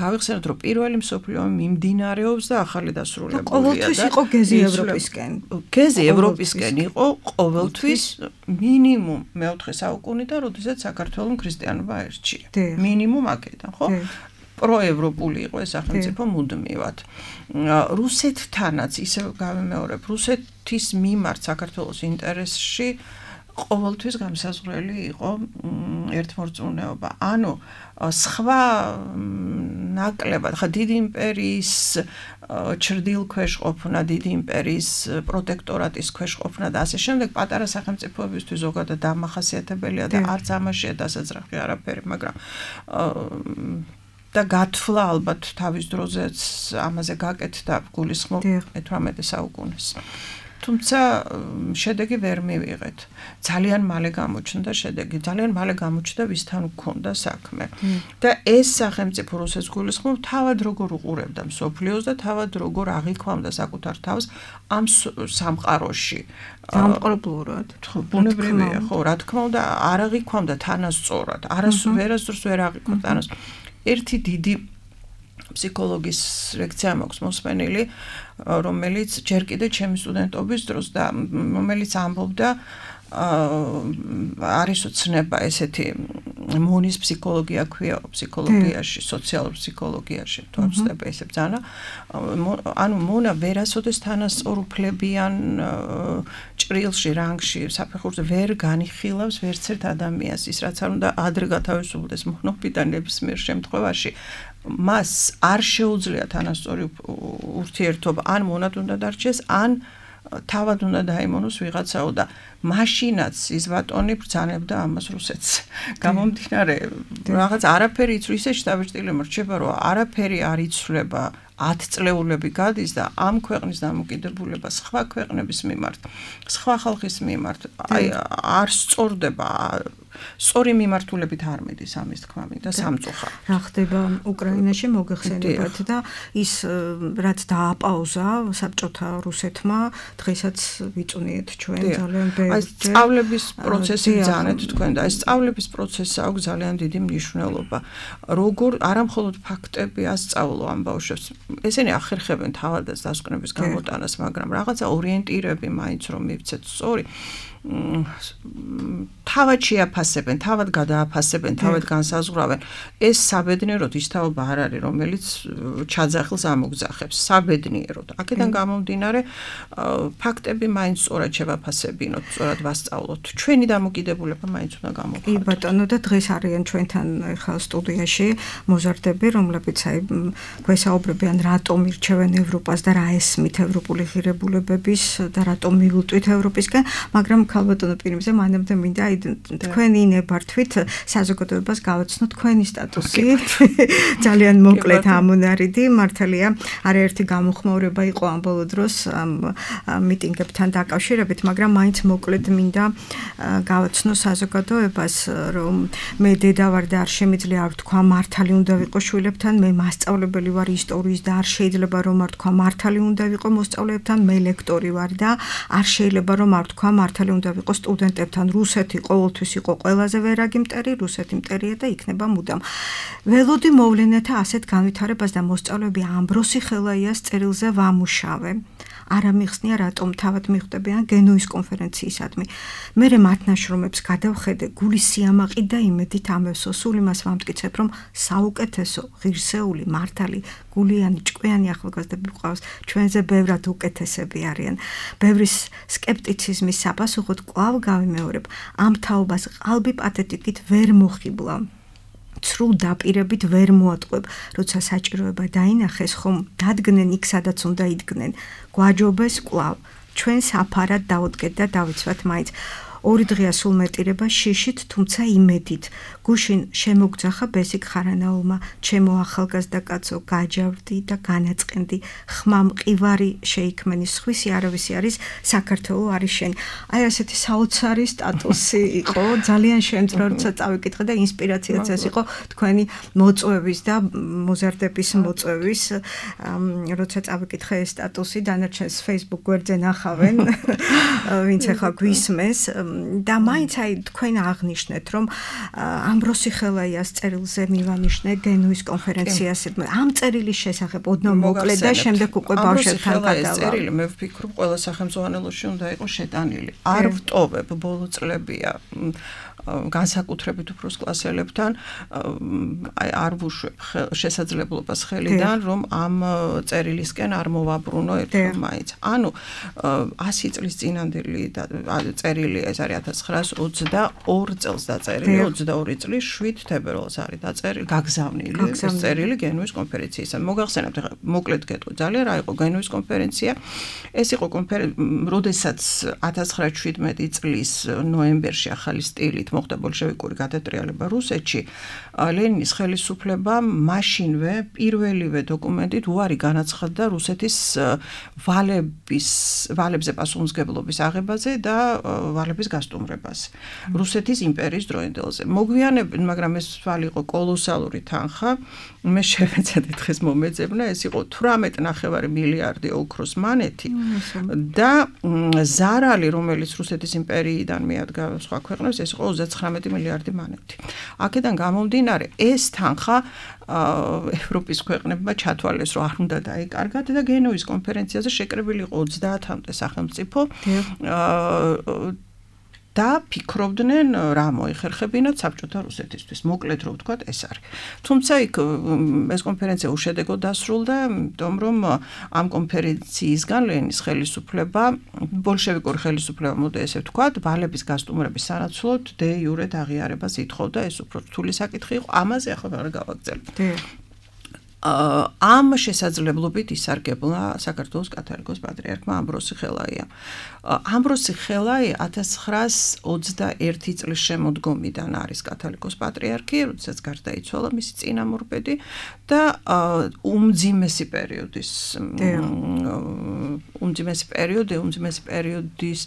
გავიხსენოთ, რომ პირველი მსოფლიო ომი მიმდინარეობს და ახალი დასრულებულია და ყოველთვის იყო გეზი ევროპისკენ. გეზი ევროპისკენ იყო ყოველთვის მინიმუმ მე-4 საუკუნიდან, როდესაც საქართველოს ქრისტიანობა აირჩია. მინიმუმ აქედან, ხო? პროევროპული იყო ეს სახელმწიფო მუდმივად. რუსეთთანაც ისე გავიმეორებ, რუსეთის მიმართ საქართველოს ინტერესში ყოველთვის გამსაზღვრელი იყო ერთმორწმუნეობა. ანუ სხვა ნაკლებად, ხა დიდი იმპერიის ჩრდილქვეშ ყოფნა, დიდი იმპერიის პროტექტორატის ქვეშ ყოფნა და ასე შემდეგ პატარა სახელმწიფოებისთვის ზოგადად დამახასიათებელია და არც ამაშია დასაძრახი არაფერი, მაგრამ და გათვლა ალბათ თავის დროზეც ამაზე გაკეთდა გულისხმობ 18 საუკუნეს. თუმცა შედეგი ვერ მივიღეთ. ძალიან მალე გამოჩნდა შედეგი, ძალიან მალე გამოჩნდა ვისთან გქონდა საქმე. და ეს სახელმწიფო რუსეთს გულისხმობ თავად როგორ უყურებდა მსოფლიოს და თავად როგორ აღიქვამდა საკუთარ თავს ამ სამყაროში. დამყრობლურად. ბუნებრივია, ხო, რა თქმა უნდა, არ აღიქვამდა თანასწორად, ვერასდროს ვერ აღიქვამდა თანას. ერთი დიდი ფსიქოლოგის ლექცია მაქვს მოსმენილი, რომელიც ჯერ კიდე ჩემი სტუდენტობის დროს და რომელიც ამბობდა არის უცნება ესეთი მონის ფსიქოლოგია ქვია ფსიქოლოგიაში, სოციალურ ფსიქოლოგიაში, თორსტება ესე ბძანა. ანუ მონა ვერასოდეს თანასწორუფლებიან ჭრილში, რანგში, საფეხურზე ვერ განიხილავს ვერც ერთ ადამიანს, ის რაც არ უნდა ადრე გათავისუფლდეს მონოფიდან ნებისმიერ შემთხვევაში. მას არ შეუძლია თანასწორი ურთიერთობა, ან მონად უნდა დარჩეს, ან თავად უნდა დაიმონოს ვიღაცაო და მაშინაც ის ბატონი ბრძანებდა ამას რუსეთს. გამომდინარე, რაღაც არაფერი იცვლება, ისე შტაბ-ჭრილი მრჩება, რომ არაფერი არ იცვლება, 10 წლეულები გადის და ამ ქვეყნის დამოკიდებულება სხვა ქვეყნების მიმართ, სხვა ხალხის მიმართ, აი არ სწორდება, სწორი მიმართულებით არ მიდის ამის თქმა მინდა სამწუხაროდ. რა ხდება უკრაინაში მოგეხსენებათ და ის რაც დააპაუზა საბჭოთა რუსეთმა, დღესაც ვიწუნიეთ ჩვენ ძალიან ბევრი. აი სწავლების პროცესი ბრძანეთ თქვენ და აი სწავლების პროცესს აქვს ძალიან დიდი მნიშვნელობა. როგორ არა მხოლოდ ფაქტები ასწავლო ამ ბავშვებს, ესენი ახერხებენ თავადაც დასკვნების გამოტანას, მაგრამ რაღაცა ორიენტირები მაინც რომ მივცეთ სწორი. თავად შეაფასებენ, თავად გადააფასებენ, თავად განსაზღვრავენ. ეს საბედნიეროდ ის თაობა არ არის, რომელიც ჩაძახილს ამოგძახებს. საბედნიეროდ. აქედან გამომდინარე, ფაქტები მაინც სწორად შევაფასებინოთ, სწორად ვასწავლოთ. ჩვენი დამოკიდებულება მაინც უნდა გამოვხატოთ. კი ბატონო და დღეს არიან ჩვენთან ახლა სტუდიაში მოზარდები, რომლებიც აი გვესაუბრებიან, რატომ ირჩევენ ევროპას და რა ესმით ევროპული ღირებულებების და რატომ მივუტვით ევროპისკენ, მაგრამ ქალბატონო პირიმზე მანამდე მინდა თქვენი ნებართვით საზოგადოებას გავაცნო თქვენი სტატუსი. ძალიან მოკლედ ამონარიდი, მართალია, არაერთი გამოხმაურება იყო ამ ბოლო დროს მიტინგებთან დაკავშირებით, მაგრამ მაინც მოკლედ მინდა გავაცნო საზოგადოებას, რომ მე დედა ვარ და არ შემიძლია არ თქვა მართალი უნდა ვიყო შვილებთან, მე მასწავლებელი ვარ ისტორიის და არ შეიძლება რომ არ თქვა მართალი უნდა ვიყო მოსწავლეებთან, მე ლექტორი ვარ და არ შეიძლება რომ არ თქვა მართალი უნდა ვიყო სტუდენტებთან. რუსეთი ყოველთვის იყო ყველაზე ვერაგი მტერი, რუსეთი მტერია და იქნება მუდამ. ველოდი მოვლენათა ასეთ განვითარებას და მოსწავლეები ამბროსი ხელაიას წერილზე ვამუშავე. არ ამიხსნია რატომ თავად მიხვდებიან გენუის კონფერენციისადმი. მე მათ ნაშრომებს გადავხედე გულის სიამაყი და იმედით ამევსო, სულ იმას ვამტკიცებ, რომ საუკეთესო, ღირსეული, მართალი, გულიანი, ჭკვიანი ახალგაზრდები გვყავს, ჩვენზე ბევრად უკეთესები არიან. ბევრის სკეპტიციზმის საპასუხოდ კვლავ გავიმეორებ, ამ თაობას ყალბი პათეტიკით ვერ მოხიბლა. ცრუ დაპირებით ვერ მოატყვებ, როცა საჭიროება დაინახეს, ხომ დადგნენ იქ, სადაც უნდა იდგნენ. გვაჯობეს კვლავ, ჩვენ საფარად დავუდგეთ და დავიცვათ მაინც. 2 დღეა სულ მეტირება შიშით, თუმცა იმედით. გუშინ შემოგძახა ბესიკ ხარანაულმა, ჩემო ახალგაზრდა კაცო, გაჯავრდი და განაწყენდი. ხმა მყივარი შეიქმენი, სხვისი არავისი არის, საქართველო არის შენ. აი ასეთი საოცარი სტატუსი იყო, ძალიან შემძლე, როცა წავიკითხე და ინსპირაციაც ეს იყო თქვენი მოწვევის და მოზარდების მოწვევის, როცა წავიკითხე ეს სტატუსი, დანარჩენს Facebook გვერდზე ნახავენ, ვინც ახლა გვისმენს. და მაინც აი თქვენ აღნიშნეთ, რომ ამბროსი ხელაიას წერილზე მივანიშნე გენუის კონფერენციაზე. ამ წერილის შესახებ ოდნავ მოკლედ და შემდეგ უკვე ბავშვებთან გადავალ. ეს წერილი მე ვფიქრობ ყველა სახელმწიფოანელოში უნდა იყოს შეტანილი. არ ვტოვებ ბოლო წლებია განსაკუთრებით უფროს კლასელებთან აი არ ვუშვებ შესაძლებლობას ხელიდან რომ ამ წერილისკენ არ მოვაბრუნო ერთხელ მაინც. ანუ 100 წლის წინანდელი წერილი ეს არის 1922 წელს დაწერილი, 22 წლის 7 თებერვალს არის დაწერილი, გაგზავნილი ეს წერილი გენუის კონფერენციისგან. მოგახსენებთ ახლა მოკლედ გეტყვი ძალიან რა იყო გენუის კონფერენცია. ეს იყო როდესაც 1917 წლის ნოემბერში ახალი სტილით მოხდა ბოლშევიკური გადატრიალება რუსეთში, ლენინის ხელისუფლებამ მაშინვე პირველივე დოკუმენტით უარი განაცხადა რუსეთის ვალებზე პასუხისმგებლობის აღებაზე და ვალების გასტუმრებას რუსეთის იმპერიის დროინდელზე. მოგვიანებით, მაგრამ ეს ვალი იყო კოლოსალური თანხა, მე შევეცადე დღეს მომეძებნა, ეს იყო 18.5 მილიარდი ოქროს მანეთი და ზარალი, რომელიც რუსეთის იმპერიიდან მიადგა სხვა ქვეყნებს, ეს იყო 39 მილიარდი მანეთი. აქედან გამომდინარე, ეს თანხა ევროპის ქვეყნებმა ჩათვალეს, რომ არ უნდა დაეკარგათ და გენუის კონფერენციაზე შეკრებილი იყო 30-მდე სახელმწიფო და ფიქრობდნენ რა მოიხერხებინათ საბჭოთა რუსეთისთვის. მოკლედ რო ვთქვათ, ეს არის. თუმცა იქ ეს კონფერენცია უშედეგოდ დასრულდა, იმიტომ რომ ამ კონფერენციისგან ლენინის ხელისუფლება, ბოლშევიკური ხელისუფლება, მოდი ესე ვთქვათ, ვალების გასტუმრების სანაცვლოდ დე იურე აღიარებას ითხოვდა, ეს უფრო რთული საკითხი იყო, ამაზე ახლა არ გავაგრძელებ. ამ შესაძლებლობით ისარგებლა საქართველოს კათოლიკოს პატრიარქმა ამბროსი ხელაია. ამბროსი ხელაი 1921 წლის შემოდგომიდან არის კათოლიკოს პატრიარქი, როდესაც გარდაიცვალა მისი წინამორბედი და უმძიმესი პერიოდის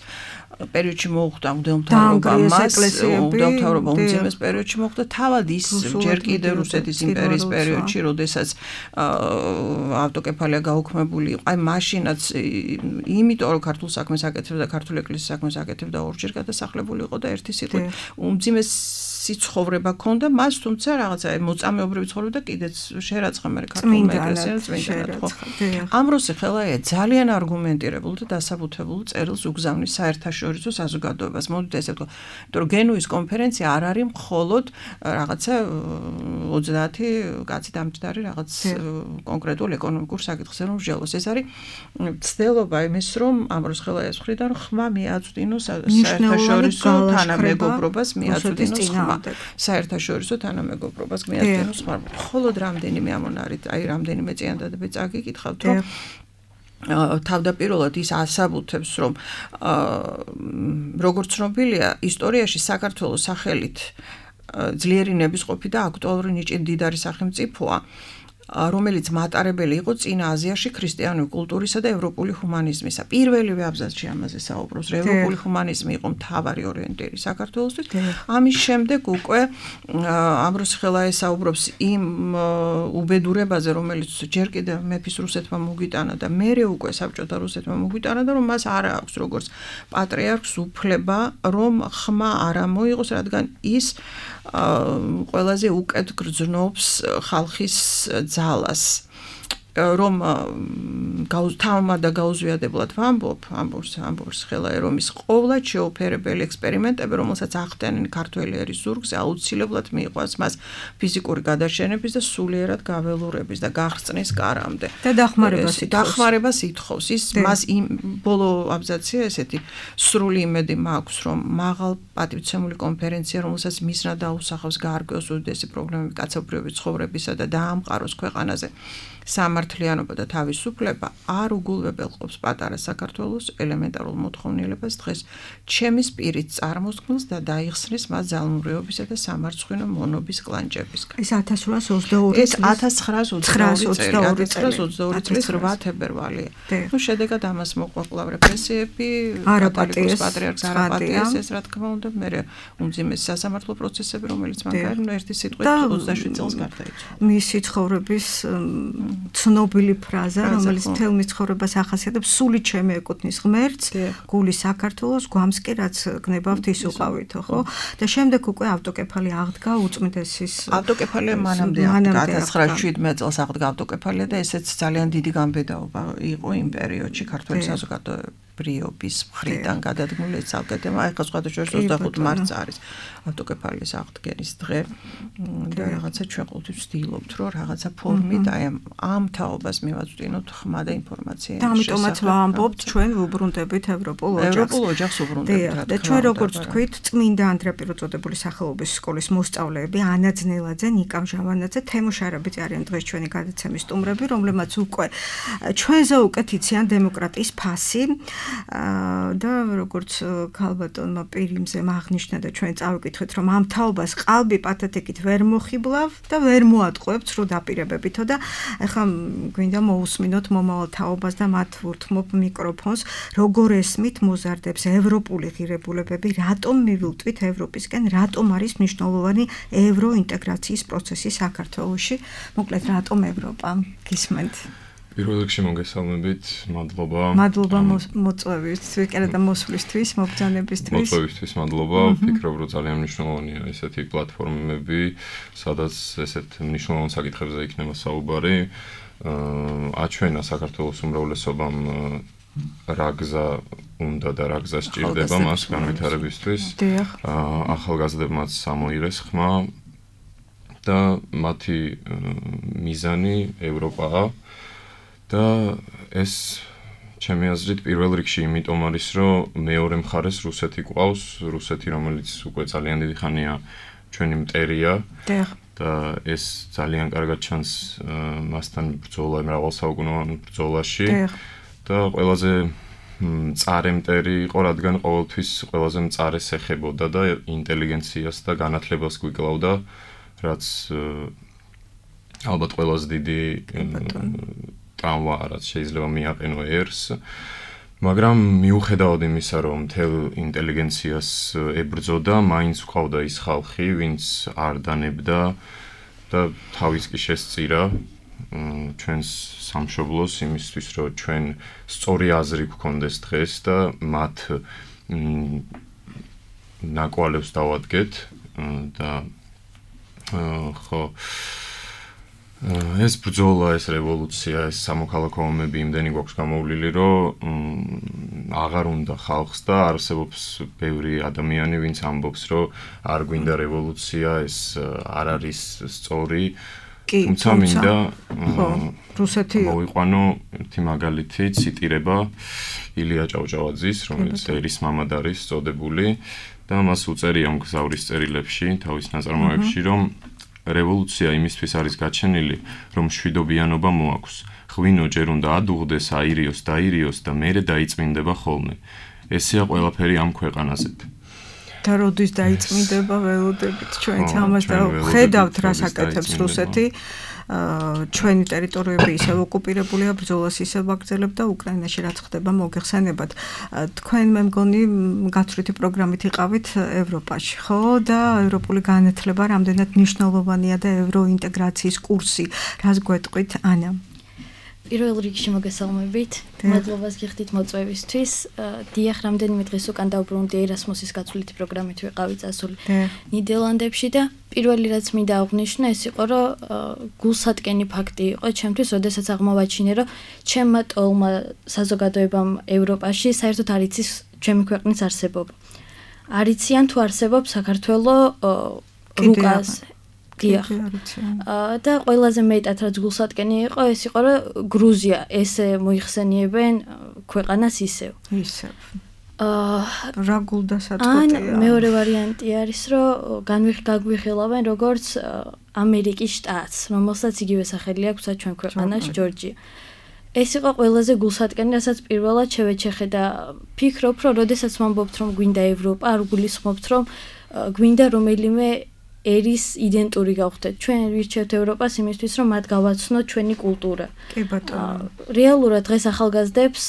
პერიოდში მოუხდა მღვდელმთავრობა მას, მღვდელმთავრობა უმძიმეს პერიოდში მოუხდა, თავად ის ჯერ კიდევ რუსეთის იმპერიის პერიოდში, როდესაც ავტოკეფალია გაუქმებული იყო. აი მაშინაც იმიტომ რომ ქართულ საქმეს აკეთებდა და ქართულ ეკლესიის საქმეს აკეთებდა ორჯერ გადასახლებული იყო და ერთი სიტყვით უმძიმესი ცხოვრება ჰქონდა მას, თუმცა რაღაცა მოწამეობრივი ცხოვრება და კიდეც შერაცხა მე ქართულ ეკლესიას წმინდანად ხო. ამბროსი ხელაია ძალიან არგუმენტირებულ და დასაბუთებულ წერილს უგზავნის საერთაშორისო საზოგადოებას. მოდით ესე ვთქვა, იმიტომ რომ გენუის კონფერენცია არ არის მხოლოდ რაღაცა 30 კაცი დამჯდარი რაღაც კონკრეტულ ეკონომიკურ საკითხზე რომ მსჯელოს. ეს არის ცდელობა იმის, რომ ამბროს ხელაიას მხრიდან ხმა მიაწვდინოს საერთაშორისო თანამეგობრობას, მიაწვდინოს ხმა. საერთაშორისო თანამეგობრობას მიაწვდინოს ხმა. მხოლოდ რამდენიმე ამონარით, აი რამდენიმე წინადადებით წაგიკითხავთ, რომ თავდაპირველად ის ასაბუთებს, რომ როგორც ცნობილია, ისტორიაში საქართველოს სახელით ძლიერი ნებისყოფი და აქტუალური ნიჭი მდიდარი სახელმწიფოა, რომელიც მატარებელი იყო წინა აზიაში ქრისტიანული კულტურისა და ევროპული ჰუმანიზმისა. პირველივე აბზაცში ამაზე საუბრობს, რომ ევროპული ჰუმანიზმი იყო მთავარი ორიენტირი საქართველოსთვის. ამის შემდეგ უკვე ამბროს ხელაე საუბრობს იმ უბედურებაზე, რომელიც ჯერ კიდევ მეფის რუსეთმა მოგვიტანა და მერე უკვე საბჭოთა რუსეთმა მოგვიტანა და რომ მას არ აქვს როგორც პატრიარქს უფლება, რომ ხმა არ მოიღოს, რადგან ის ყველაზე უკეთ გრძნობს ხალხის ძალას, რომ თავმა და გაუზვიადებლად ამბობს ხელაე, რომ ის ყოვლად შეუფერებელი ექსპერიმენტები, რომელსაც ახდენენ ქართველი ერის ზურგზე, აუცილებლად მიიყვანს მას ფიზიკური გადაშენების და სულიერად გაველურების და გახსნის კარამდე. და დახმარებას ითხოვს. ის მას იმ ბოლო აბზაცია ესეთი სრული იმედი მაქვს, რომ მაღალ პატივცემული კონფერენცია, რომელსაც მისნა დაუსახავს გაარკვევს უდიდესი პრობლემები კაცობრიობის ცხოვრებისა და დაამყაროს ქვეყანაზე სამართლიანობა და თავისუფლება არ უგულვებელყოფს პატარა საქართველოს ელემენტარულ მოთხოვნილებას დღეს ჩემის პირით წარმოსქმნილს და დაიხსნის მას ძალმურეობისა და სამარცხვინო მონობის კლანჭებისგან. ეს 1822 ეს 1922 წლის 8 თებერვალია. ნუ შედეგად ამას მოყვა კვლავ რეპრესიები, კათოლიკოს პატრიარქს არ აპატიეს, ეს რა თქმა უნდა, მე უმძიმესი სასამართლო პროცესები, რომელიც მან გაიგო ერთი სიტყვით 27 წელს გარდაიცვალა. მისი ცხოვრების ცნობილი ფრაზა, რომელიც მთელ მის ცხოვრებას ახასიათებს, სული ჩემი ეკუთვნის ღმერთს, გული საქართველოს, გვამს კი რაც გნებავთ ის უყავითო, ხო? და შემდეგ უკვე ავტოკეფალია აღდგა უწმიდესის. ავტოკეფალია მანამდე 1917 წელს აღდგა ავტოკეფალია და ესეც ძალიან დიდი გამბედაობა იყო იმ პერიოდში ქართული საზოგადოებრივობის მხრიდან გადადგმული ცალკეთება. ეხლა სხვადასხვა 25 მარტს არის ავტოკეფალიის აღდგენის დღე და რაღაცა ჩვენ ყოველთვის ვცდილობთ, რომ რაღაცა ფორმით აი ამ თაობას მივაწვდინოთ ხმა და ინფორმაცია. და ამიტომაც ვამბობთ, ჩვენ ვუბრუნდებით ევროპულ ოჯახს ვუბრუნდებით. და ჩვენ როგორც თქვით, წმინდა ანდრია წოდებული სახელობის სკოლის მოსწავლეები ანა ძნელაძე, ნიკა ჟავანაძე, თემო შარაბიძე არიან დღეს ჩვენი გადაცემის სტუმრები, რომლებმაც უკვე ჩვენზე უკეთ იციან დემოკრატიის ფასი და როგორც ქალბატონმა პირიმზე აღნიშნა და ჩვენ წავიკითხეთ, რომ ამ თაობას ყალბი პათეთიკით ვერ მოხიბლავ და ვერ მოატყუებთ სრულ დაპირებებითო და ეხლა გვინდა მოусმინოთ მომავალ თაობას და მათ ვურთმობ მიკროფონს, როგორ ესმით მოზარდებს ევროპული ღირებულებები, რატომ მივილტვით ევროპისკენ, რატომ არის მნიშვნელოვანი ევროინტეგრაციის პროცესი საქართველოში, მოკლედ რატომ ევროპა, გისმენთ? პირველ რიგში მოგესალმებით, მადლობა. მადლობა მოწვევისთვის, კიდე და მოსვლისთვის, მობრძანებისთვის. მოწვევისთვის მადლობა. ვფიქრობ, რომ ძალიან მნიშვნელოვანია ესეთი პლატფორმები, სადაც ესეთ მნიშვნელოვან საკითხებზე იქნება საუბარი. აჩვენა საქართველოს უმრავლესობამ რა გზა უნდა და რა გზა სჭირდება მას განვითარებისთვის. ახალგაზრდებმაც ამოიღეს ხმა და მათი მიზანი ევროპაა. და ეს ჩემი აზრით პირველ რიგში იმიტომ არის, რომ მეორე მხარეს რუსეთი ყავს, რუსეთი, რომელიც უკვე ძალიან დიდი ხანია ჩვენი მტერია და ეს ძალიან კარგად ჩანს მასთან ბრძოლა, მრავალსაუკუნოვან ბრძოლაში და ყველაზე მწარე მტერი იყო, რადგან ყოველთვის ყველაზე მწარეს ეხებოდა და ინტელიგენციას და განათლებას გვიკლავდა, რაც ალბათ ყველაზე დიდი ტრავმა რაც შეიძლება მიაყენო ერს, მაგრამ მიუხედავად იმისა, რომ მთელ ინტელიგენციას ებრძოდა, მაინც ყავდა ის ხალხი, ვინც არ დანებდა და თავის კი შესწირა ჩვენს სამშობლოს იმისთვის, რომ ჩვენ სწორი აზრი გვქონდეს დღეს და მათ ნაკვალევს დავადგეთ და ხო ეს ბრძოლა, ეს რევოლუცია, ეს სამოქალაქო ომები იმდენი გვაქვს გამოვლილი, რომ აღარ უნდა ხალხს და არსებობს ბევრი ადამიანი, ვინც ამბობს, რომ არ გვინდა რევოლუცია, ეს არ არის სწორი. თუმცა მინდა რუსეთი მოვიყვანო ერთი მაგალითი, ციტირება ილია ჭავჭავაძის, რომელიც ერის მამად არის წოდებული და მას უწერია მგზავრის წერილებში, თავის ნაწარმოებში, რომ რევოლუცია იმისთვის არის გაჩენილი, რომ მშვიდობიანობა მოაქვს. ღვინო ჯერ უნდა ადუღდეს, აირიოს, დაირიოს და მერე დაიწმინდება ხოლმე. ესეა ყველაფერი ამ ქვეყანაზე. და როდის დაიწმინდება ველოდებით ჩვენც ამას და ხედავთ რას აკეთებს რუსეთი. ჩვენი ტერიტორიები ისევ ოკუპირებულია, ბრძოლას ისევ აგრძელებდა უკრაინაში რაც ხდება მოგეხსენებათ. თქვენ მე მგონი გაცვლითი პროგრამით იყავით ევროპაში, ხო? და ევროპული განათლება რამდენად მნიშვნელოვანია და ევროინტეგრაციის კურსი. რას გვეტყვით, ანა? პირველ რიგში მოგესალმებით. მადლობას გიხდით მოწვევისთვის. დიახ, რამდენიმე დღეს უკან დავბრუნდი ერასმუსის გაცვლითი პროგრამით ვიყავი წასული ნიდერლანდებში და პირველი რაც მინდა აღვნიშნო ეს იყო, რომ გულსატკენი ფაქტი იყო ჩემთვის, როდესაც აღმოვაჩინე, რომ ჩემმა ტოლმა საზოგადოებამ ევროპაში საერთოდ არ იცის ჩემი ქვეყნის არსებობა. არ იციან თუ არსებობს საქართველოს რუკას დიახ. და ყველაზე მეტად რაც გულსატკენი იყო, ეს იყო, რომ გრუზია ესე მოიხსენიებენ ქვეყანას ისევ. ისევ. რა გულდასაწყვეტია? ან მეორე ვარიანტი არის, რომ გაგვიხილავენ როგორც ამერიკის შტატს, რომელსაც იგივე სახელი აქვს ჩვენ ქვეყანას ჯორჯია. ეს იყო ყველაზე გულსატკენი, რასაც პირველად შევეჩეხე და ფიქრობ, რომ როდესაც ვამბობთ, რომ გვინდა ევროპა, არ გულისხმობთ, რომ გვინდა რომელიმე ერის იდენტური გავხდეთ. ჩვენ ვირჩევთ ევროპას იმისთვის, რომ მათ გავაცნოთ ჩვენი კულტურა. კი ბატონო. რეალურად დღეს ახალგაზრდებს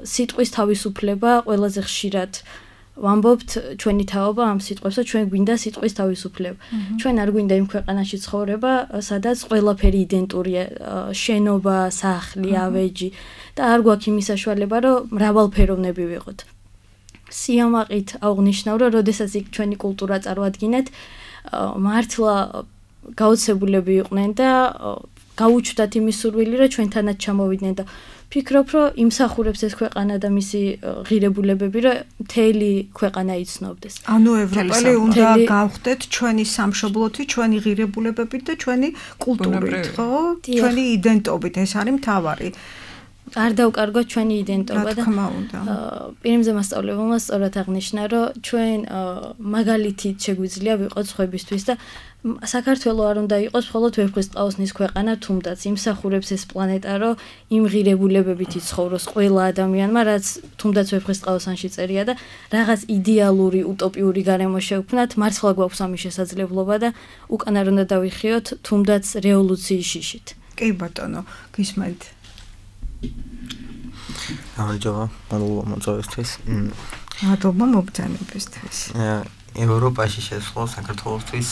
სიტყვის თავისუფლება ყველაზე ხშირად ვამბობთ ჩვენი თაობა ამ სიტყვებს და ჩვენ გვინდა სიტყვის თავისუფლება. ჩვენ არ გვინდა იმ ქვეყანაში ცხოვრება, სადაც ყველაფერი იდენტურია, შენობა, სახლი, ავეჯი და არ გვაქვს იმის საშუალება, რომ მრავალფეროვნები ვიყოთ. სიამაყით აღვნიშნავ, რომ როდესაც იქ ჩვენი კულტურა წარმოადგინეთ, მართლა გაოცებულები იყვნენ და გაუჩნდათ იმის სურვილი, რომ ჩვენთანაც ჩამოვიდნენ და ფიქრობ, რომ იმსახურებს ეს ქვეყანა და მისი ღირებულებები, რომ მთელი ქვეყანა იცნობდეს. ანუ ევროპელი უნდა გავხდეთ ჩვენი სამშობლოთი, ჩვენი ღირებულებებით და ჩვენი კულტურით, ხო? ჩვენი იდენტობით, ეს არის მთავარი. არ დავკარგოთ ჩვენი იდენტობა და პირიმზე მასწავლებელმა სწორად აღნიშნა, რომ ჩვენ მაგალითით შეგვიძლია ვიყოთ სხვებისთვის და საქართველოს არ უნდა იყოს მხოლოდ ვეფხისტყაოსნის ქვეყანა, თუმდაც იმსახურებს ეს პლანეტა, რომ იმ ღირებულებებით იცხოვროს ყველა ადამიანმა, რაც თუმდაც ვეფხისტყაოსანში წერია და რაღაც იდეალური, утоპიური გარემო შევქმნათ, მართლა გვაქვს ამის შესაძლებლობა და უკან არ უნდა დავიხიოთ, თუმდაც რევოლუციის შიშით. კი ბატონო, გისმენთ. გამარჯობა, მადლობა მოწვევისთვის. მადლობა მოგზაურობისთვის. ევროპაში შესვლა საქართველოსთვის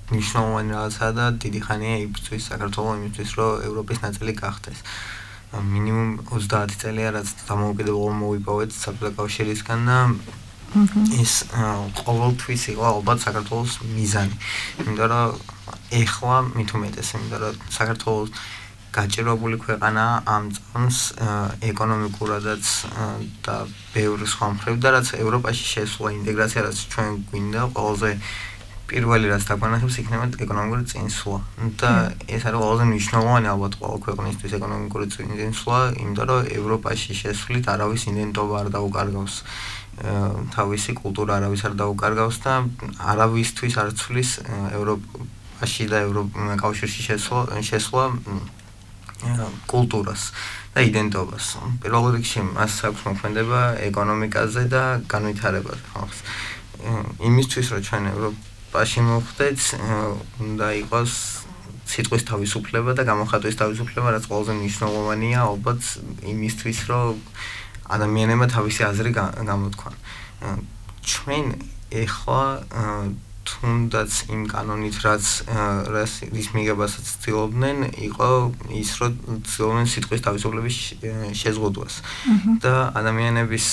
მნიშვნელოვანი რაღაცაა და დიდი ხანია იბრძვის საქართველოს იმისთვის, რომ ევროპის ნაწილი გახდეს. მინიმუმ 30 წელია რაც დამოუკიდებლობა მოვიპოვეთ საბჭოთა კავშირისგან და ეს ყოველთვის იყო ალბათ საქართველოს მიზანი. იმიტომ რომ ეხლა მით უმეტეს, იმიტომ რომ საქართველოს გაჭირვებული ქვეყანაა ამ წამს ეკონომიკურადაც და ბევრი სხვა მხრივ და რაც ევროპაში შესვლა, ინტეგრაცია რაც ჩვენ გვინდა, ყველაზე პირველი რაც დაგვანახებს იქნება ეკონომიკური წინსვლა. და ეს არის ყველაზე მნიშვნელოვანი ალბათ ყველა ქვეყნისთვის ეკონომიკური წინსვლა, იმიტომ რომ ევროპაში შესვლით არავის იდენტობა არ დაუკარგავს. თავისი კულტურა არავის არ დაუკარგავს და არავისთვის არ ცვლის ევროპაში და ევროკავშირში შესვლა კულტურას და იდენტობას. პირველ რიგში მას აქვს მოქმედება ეკონომიკაზე და განვითარებაზე. იმისთვის, რომ ჩვენ ევროპაში მოვხდეთ, უნდა იყოს სიტყვის თავისუფლება და გამოხატვის თავისუფლება, რაც ყველაზე მნიშვნელოვანია, ალბათ იმისთვის, რომ ადამიანებმა თავისი აზრი გამოთქვან. ჩვენ ეხლა თუნდაც იმ კანონით, რის მიღებასაც ცდილობდნენ, იყო ის, რომ ცდილობდნენ სიტყვის თავისუფლების შეზღუდვას და ადამიანების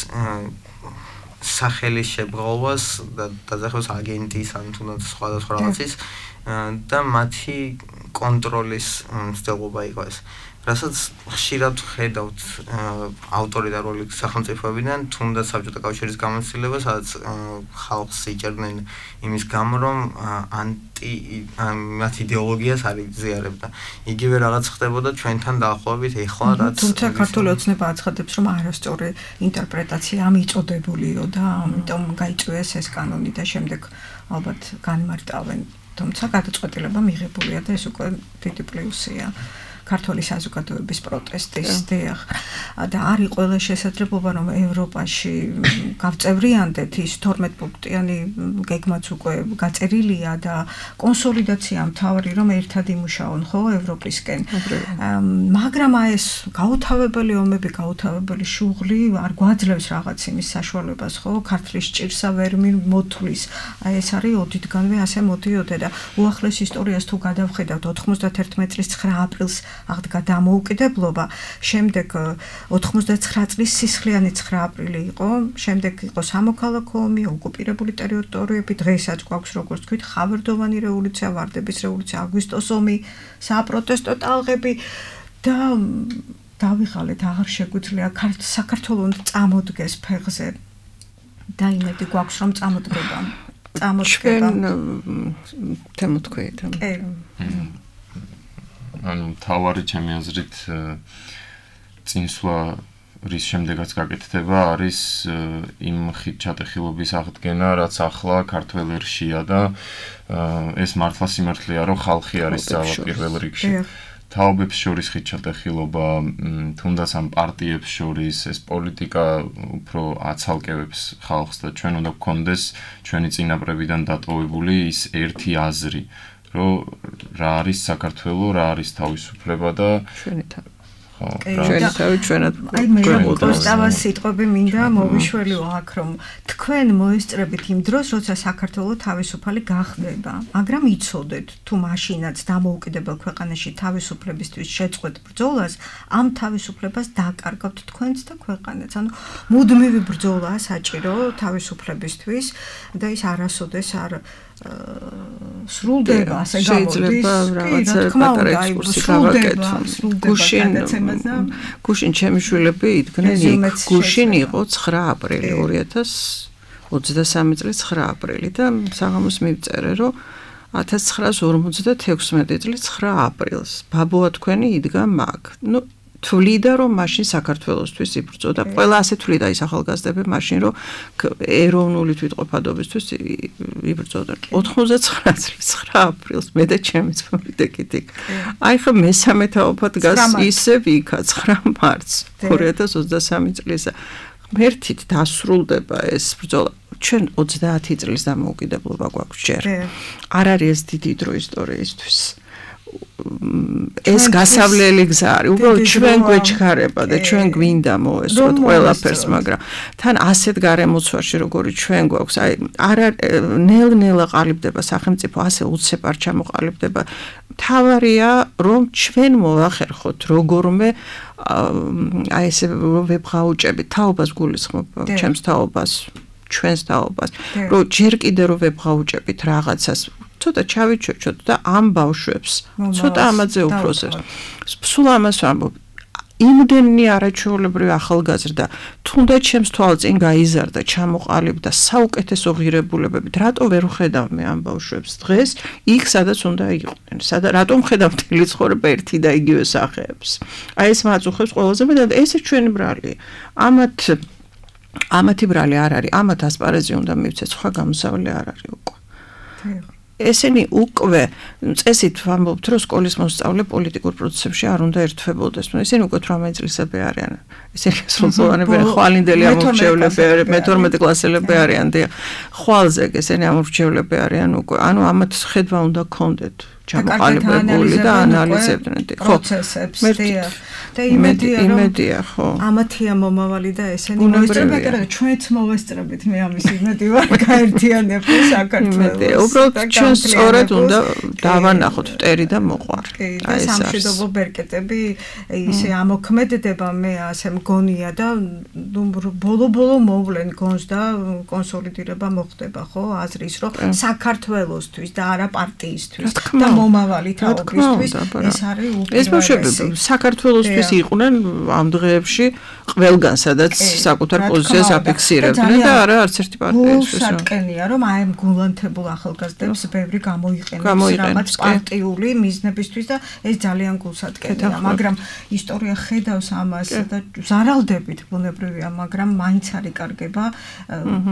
სახელის შებრალვას და დაძახებას აგენტის ან თუნდაც სხვადასხვა რაღაცის და მათი კონტროლის მცდელობა იყო ეს. რასაც ხშირად ხედავთ ავტორიტარული სახელმწიფოებიდან, თუნდაც საბჭოთა კავშირის გამოცდილება, სადაც ხალხს იჭერდნენ იმის გამო, რომ მათ იდეოლოგიას არ იზიარებდა. იგივე რაღაც ხდებოდა ჩვენთან დაახლოებით ეხლა, რაც თუმცა ქართული ოცნება აცხადებს, რომ არასწორი ინტერპრეტაცია მიწოდებულიო და ამიტომ გაიწვიეს ეს კანონი და შემდეგ ალბათ განმარტავენ. თუმცა გადაწყვეტილება მიღებულია და ეს უკვე დიდი პლუსია. ქართული საზოგადოების პროტესტის დიახ და არის ყველა შესაძლებლობა რომ ევროპაში გავწევრიანდეთ ის 12 პუნქტიანი გეგმაც უკვე გაწერილია და კონსოლიდაცია მთავარი რომ ერთად იმუშაონ ხო ევროპისკენ მაგრამ ეს გაუთავებელი ომები გაუთავებელი შუღლი არ გვაძლევს რაღაც იმის საშუალებას ხო ქართლის ჭირსა ვერ მოთვლის აი ეს არის ოდითგანვე ასე მოდიოდა და უახლეს ისტორიას თუ გადავხედავთ 91 წლის 9 აპრილს აღდგა დამოუკიდებლობა შემდეგ 99 წლის სისხლიანი 9 აპრილი იყო შემდეგ იყო სამოქალაქო ომი ოკუპირებული ტერიტორიები დღესაც გვაქვს როგორც თქვით ხავერდოვანი რევოლუცია ვარდების რევოლუცია აგვისტოს ომი საპროტესტო ტალღები და დავიღალეთ აღარ შეგვიძლია საქართველოს წამოდგეს ფეხზე და იმედი გვაქვს რომ წამოდგება თემოთქვით ანუ თავარი ჩემი აზრით წინსვლა რის შემდეგაც გაკეთდება არის იმ ხიდჩატეხილობის აღდგენა რაც ახლა ქართველ ერშია და ეს მართლა სიმართლეა რომ ხალხი არის ძალა პირველ რიგში თაობებს შორის ხიდჩატეხილობა თუნდაც ამ პარტიებს შორის ეს პოლიტიკა უფრო აცალკევებს ხალხს და ჩვენ უნდა გქონდეს ჩვენი წინაპრებიდან დატოვებული ის ერთი აზრი რომ რა არის საქართველო რა არის თავისუფლება და ჩვენი ჩვენად აი მე კოსტავას სიტყვები მინდა მოვიშველიო აქ რომ თქვენ მოესწრებით იმ დროს როცა საქართველო თავისუფალი გახდება მაგრამ იცოდეთ თუ მაშინაც დამოუკიდებელ ქვეყანაში თავისუფლებისთვის შეწყვეტ ბრძოლას ამ თავისუფლებას დაკარგავთ თქვენც და ქვეყანაც ანუ მუდმივი ბრძოლაა საჭირო თავისუფლებისთვის და ის არასოდეს არ სრულდება ასე გამოდის რაღაცა პატარა ექსკურსი გავაკეთო გუშინ ჩემი შვილები იდგნენ იქ გუშინ იყო 9 აპრილი 2023 წლის 9 აპრილი და საღამოს მივწერე რომ 1956 წლის 9 აპრილს ბაბუა თქვენი იდგა მაგ ნუ თვლიდა რომ მაშინ საქართველოსთვის იბრძოდა ყველა ასე თვლიდა ის ახალგაზრდები მაშინ რომ ეროვნული თვითყოფადობისთვის იბრძოდა 99 წლის 9 აპრილს მე და ჩემი წმიდეკით აი ხა მესამე თაობა დგას ისევ იქა 9 მარტს 2023 წლის ღმერთით დასრულდება ეს ბრძოლა ჩვენ 30 წლის დამოუკიდებლობა გვაქვს ჯერ არ არის ეს დიდი დრო ისტორიისთვის ეს გასავლელი გზა არის უბრალოდ ჩვენ გვეჩქარება და ჩვენ გვინდა მოესწროთ ყველაფერს მაგრამ თან ასეთ გარემოცვაში როგორი ჩვენ გვაქვს აი ნელ-ნელა ყალიბდება სახელმწიფო ასე უცებ არ ჩამოყალიბდება თავარია რომ ჩვენ მოვახერხოთ როგორმე აი ესე ვებღაუჭებით თაობას გულისხმობ ჩემს თაობას ჩვენს თაობას რომ ჯერ კიდე რომ ვებღაუჭებით რაღაცას ცოტა ჩავიჩოჩოთ და ამ ბავშვებს ცოტა ამაზე უფროსებს სულ ამას ვამბობ იმდენი არაჩვეულებრივი ახალგაზრდა თუნდაც ჩემს თვალწინ გაიზარდა ჩამოყალიბდა საუკეთესო ღირებულებებით რატო ვერ ვხედავ მე ამ ბავშვებს დღეს იქ სადაც უნდა იყვნენ რატომ ხედავ მთელი ცხოვრება ერთი და იგივე სახეებს აი ეს მაწუხებს ყველაზე მეტად ესე ჩვენი ბრალი ამათი ბრალი არ არის ამათ ასპარეზი უნდა მივცეთ სხვა გამოსავალი არ არის უკვე ესენი უკვე წესით ვამბობთ რომ სკოლის მოსწავლე პოლიტიკურ პროცესებში არ უნდა ერთვებოდეს ესენი უკვე 18 წლისები არიან ესენი სრულწლოვანები ხვალინდელი ამორჩევლები არიან მე-12 კლასელები არიან და ხვალზე ესენი ამორჩევლები არიან უკვე ანუ ამათ ხედვა უნდა გქონდეთ ჩამოყალიბებული და ანალიზებდნენ პროცესებს და იმედია ხო ამათია მომავალი და ესენი მოესწრებენ ჩვენც მოვესწრებით მე ამის იმედი ვარ გაერთიანებ საქართველოს უბრალოდ ჩვენ სწორედ უნდა დავანახოთ მტერი და მოყვარ აი ეს სამშვიდობო ბერკეტები ისე ამოქმედდება მე ასე მგონია და ბოლო მოვლენ გონს და კონსოლიდირება მოხდება ხო აზრის რომ საქართველოსთვის და არა პარტიისთვის და მომავალი თაობისთვის ეს არის უპირველესი ეს ბავშვები საქართველოსთვის ეს იყვნენ ამ დღეებში ყველგან სადაც საკუთარ პოზიციას აფიქსირებდნენ და არა არც ერთი პარტიისთვის. სატკენია რომ აი ამ გულანთებულ ახალგაზრდებს ბევრი გამოიყენებს რაღაც პარტიული მიზნებისთვის და ეს ძალიან გულსატკენია, მაგრამ ისტორია ხედავს ამას და ზარალდებით ბუნებრივია, მაგრამ მაინც არ იკარგება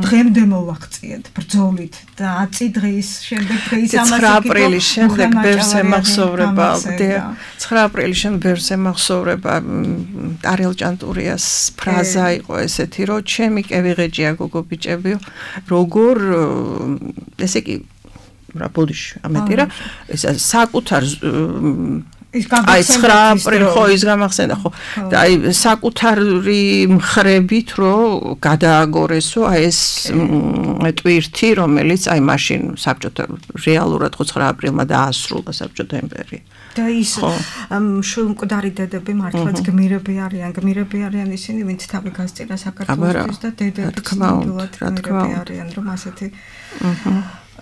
დღემდე მოვაღწიეთ ბრძოლით და 10 დღის შემდეგ დღის ამას 9 აპრილის შემდეგ ბევრს ემახსოვრება 9 აპრილის შემდეგ ბევრს ემახსოვრება არიელ ჭანტურიას ფრაზა იყო ესეთი რომ ჩემი კევიღეჯია გოგო ბიჭებიო როგორ ესე იგი რა ბოდიში ამეთი რა ეს საკუთარ აი 9 აპრილი ხო ის გამახსენდა ხო და აი საკუთარი მხრებით რომ გადააგორესო აი ეს ტვირთი რომელიც აი მაშინ საბჭოთა რეალურად 9 აპრილმა დაასრულა საბჭოთა იმპერია და ის შულმკვდარი დედები მართლაც გმირები არიან ისინი ვინც თავი გასწირა საქართველოსთვის და დედები თქმულად გმირები არიან რომ ასეთი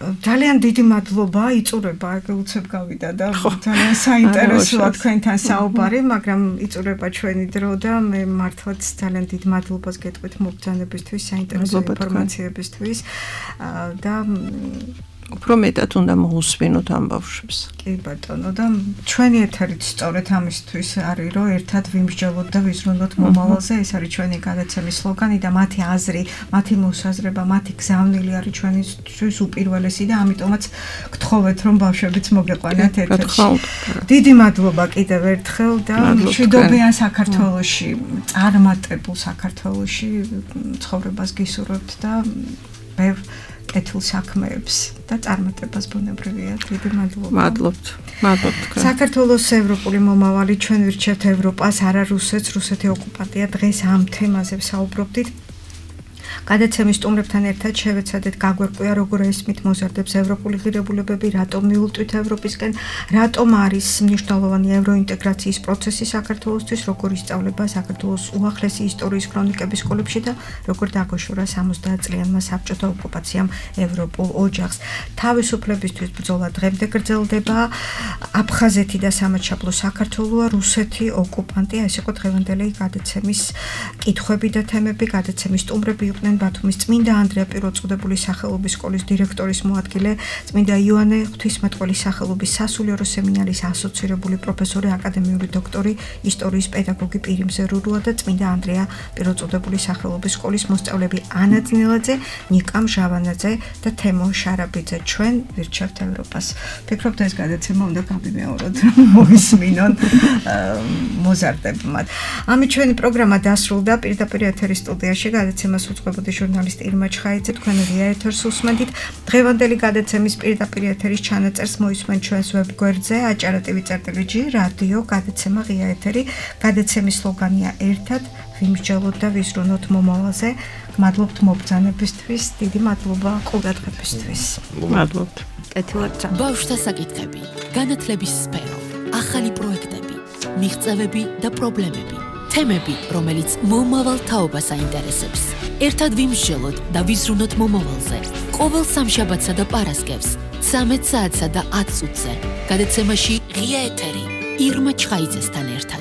ძალიან დიდი მადლობა იწურება ეგ უცებ გავიდა და ძალიან საინტერესოა თქვენთან საუბარი მაგრამ იწურება ჩვენი დრო და მე მართლაც ძალიან დიდ მადლობას გეტყვით მობრძანებისთვის საინტერესო ინფორმაციებისთვის და უფრო მეტად უნდა მოусვინოთ ამ ბავშვებს. კი ბატონო და ჩვენი ეთერით სწორედ ამისთვის არის რომ ერთად ვიმსჯელოთ და ვიზრუნოთ მომავალზე ეს არის ჩვენი გადაცემის სლოგანი და მათი აზრი, მათი მოსაზრება, მათი გზავნილი არის ჩვენისთვის უპირველესი და ამიტომაც გთხოვეთ რომ ბავშვებიც მოგეყვანათ ეთერში. დიდი მადლობა კიდევ ერთხელ და მშვიდობიან საქართველოში, წარმატებულ საქართველოში ცხოვრებას გისურვებთ და ბევრ კეთილ საქმეებს და წარმატებას ბუნებრივია. დიდი მადლობა. მადლობთ თქვენ. საქართველოს ევროპული მომავალი ჩვენ ვირჩევთ ევროპას, არა რუსეთს. რუსეთი ოკუპანტია. დღეს ამ თემაზე ვსაუბრობდით. გადაცემის სტუმრებთან ერთად შევეცადეთ გაგვერკვია როგორ ესმით მოზარდებს ევროპული ღირებულებები, რატომ მივუტვით ევროპისკენ, რატომ არის მნიშვნელოვანი ევროინტეგრაციის პროცესი საქართველოსთვის, როგორ ისწავლება საქართველოს უახლესი ისტორიის ქრონიკების სკოლებში და როგორ დაგოშორა 70-წლიანმა საბჭოთა ოკუპაციამ ევროპულ ოჯახს. თავისუფლებისთვის ბრძოლა დღემდე გრძელდება. აფხაზეთი და სამაჩაბლო საქართველოა, რუსეთი ოკუპანტია. ეს იყო დღევანდელი გადაცემის კითხვები და თემები. გადაცემის სტუმრები იყვნენ ბათუმის წმინდა ანდრია პირველწოდებული სახელობის სკოლის დირექტორის მოადგილე, წმინდა იოანე ღვთისმეტყველის სახელობის სასულიერო სემინარიის ასოცირებული პროფესორი, აკადემიური დოქტორი, ისტორიის პედაგოგი პირიმზე რურუა და წმინდა ანდრია პირველწოდებული სახელობის სკოლის მოსწავლეები ანა ძნელაძე, ნიკა მჟავანაძე და თემო შარაბიძე. ჩვენ ვირჩევთ ევროპას. ფიქრობთ ეს გადაცემა უნდა გამიმეოროთ, მოისმინონ მოზარდებმა. ამით ჩვენი პროგრამა დასრულდა. პირდაპირ ეთერის სტუდიაში გადაცემას უძღვებოდი ჟურნალისტი ირმა ჩხაიძე, თქვენ რია ეთერს უსმენთ. დღევანდელი გადაცემის პირდაპირ ეთერის ჩანაწერს მოისმენთ ჩვენს ვებგვერდზე acara.tv/g რადიო გადაცემა ღია ეთერი. გადაცემის სლოგანია ერთად ვიმსჯელოთ და ვიზრუნოთ მომავალზე. მადლობთ მობრძანებისთვის, დიდი მადლობა ყურადღებისთვის. მადლობთ. კეთილად. ბავშვთა საკითხები, განათლების სფერო, ახალი პროექტები, მიღწევები და პრობლემები. თემები, რომელიც მომავალ თაობას აინტერესებს. ერთად ვიმსჯელოთ და ვიზრუნოთ მომავალზე. ყოველ სამშაბათსა და პარასკევს 13 საათსა და 10 წუთზე. გადაცემაში ღია ეთერი ირმა ჩხაიძესთან ერთად.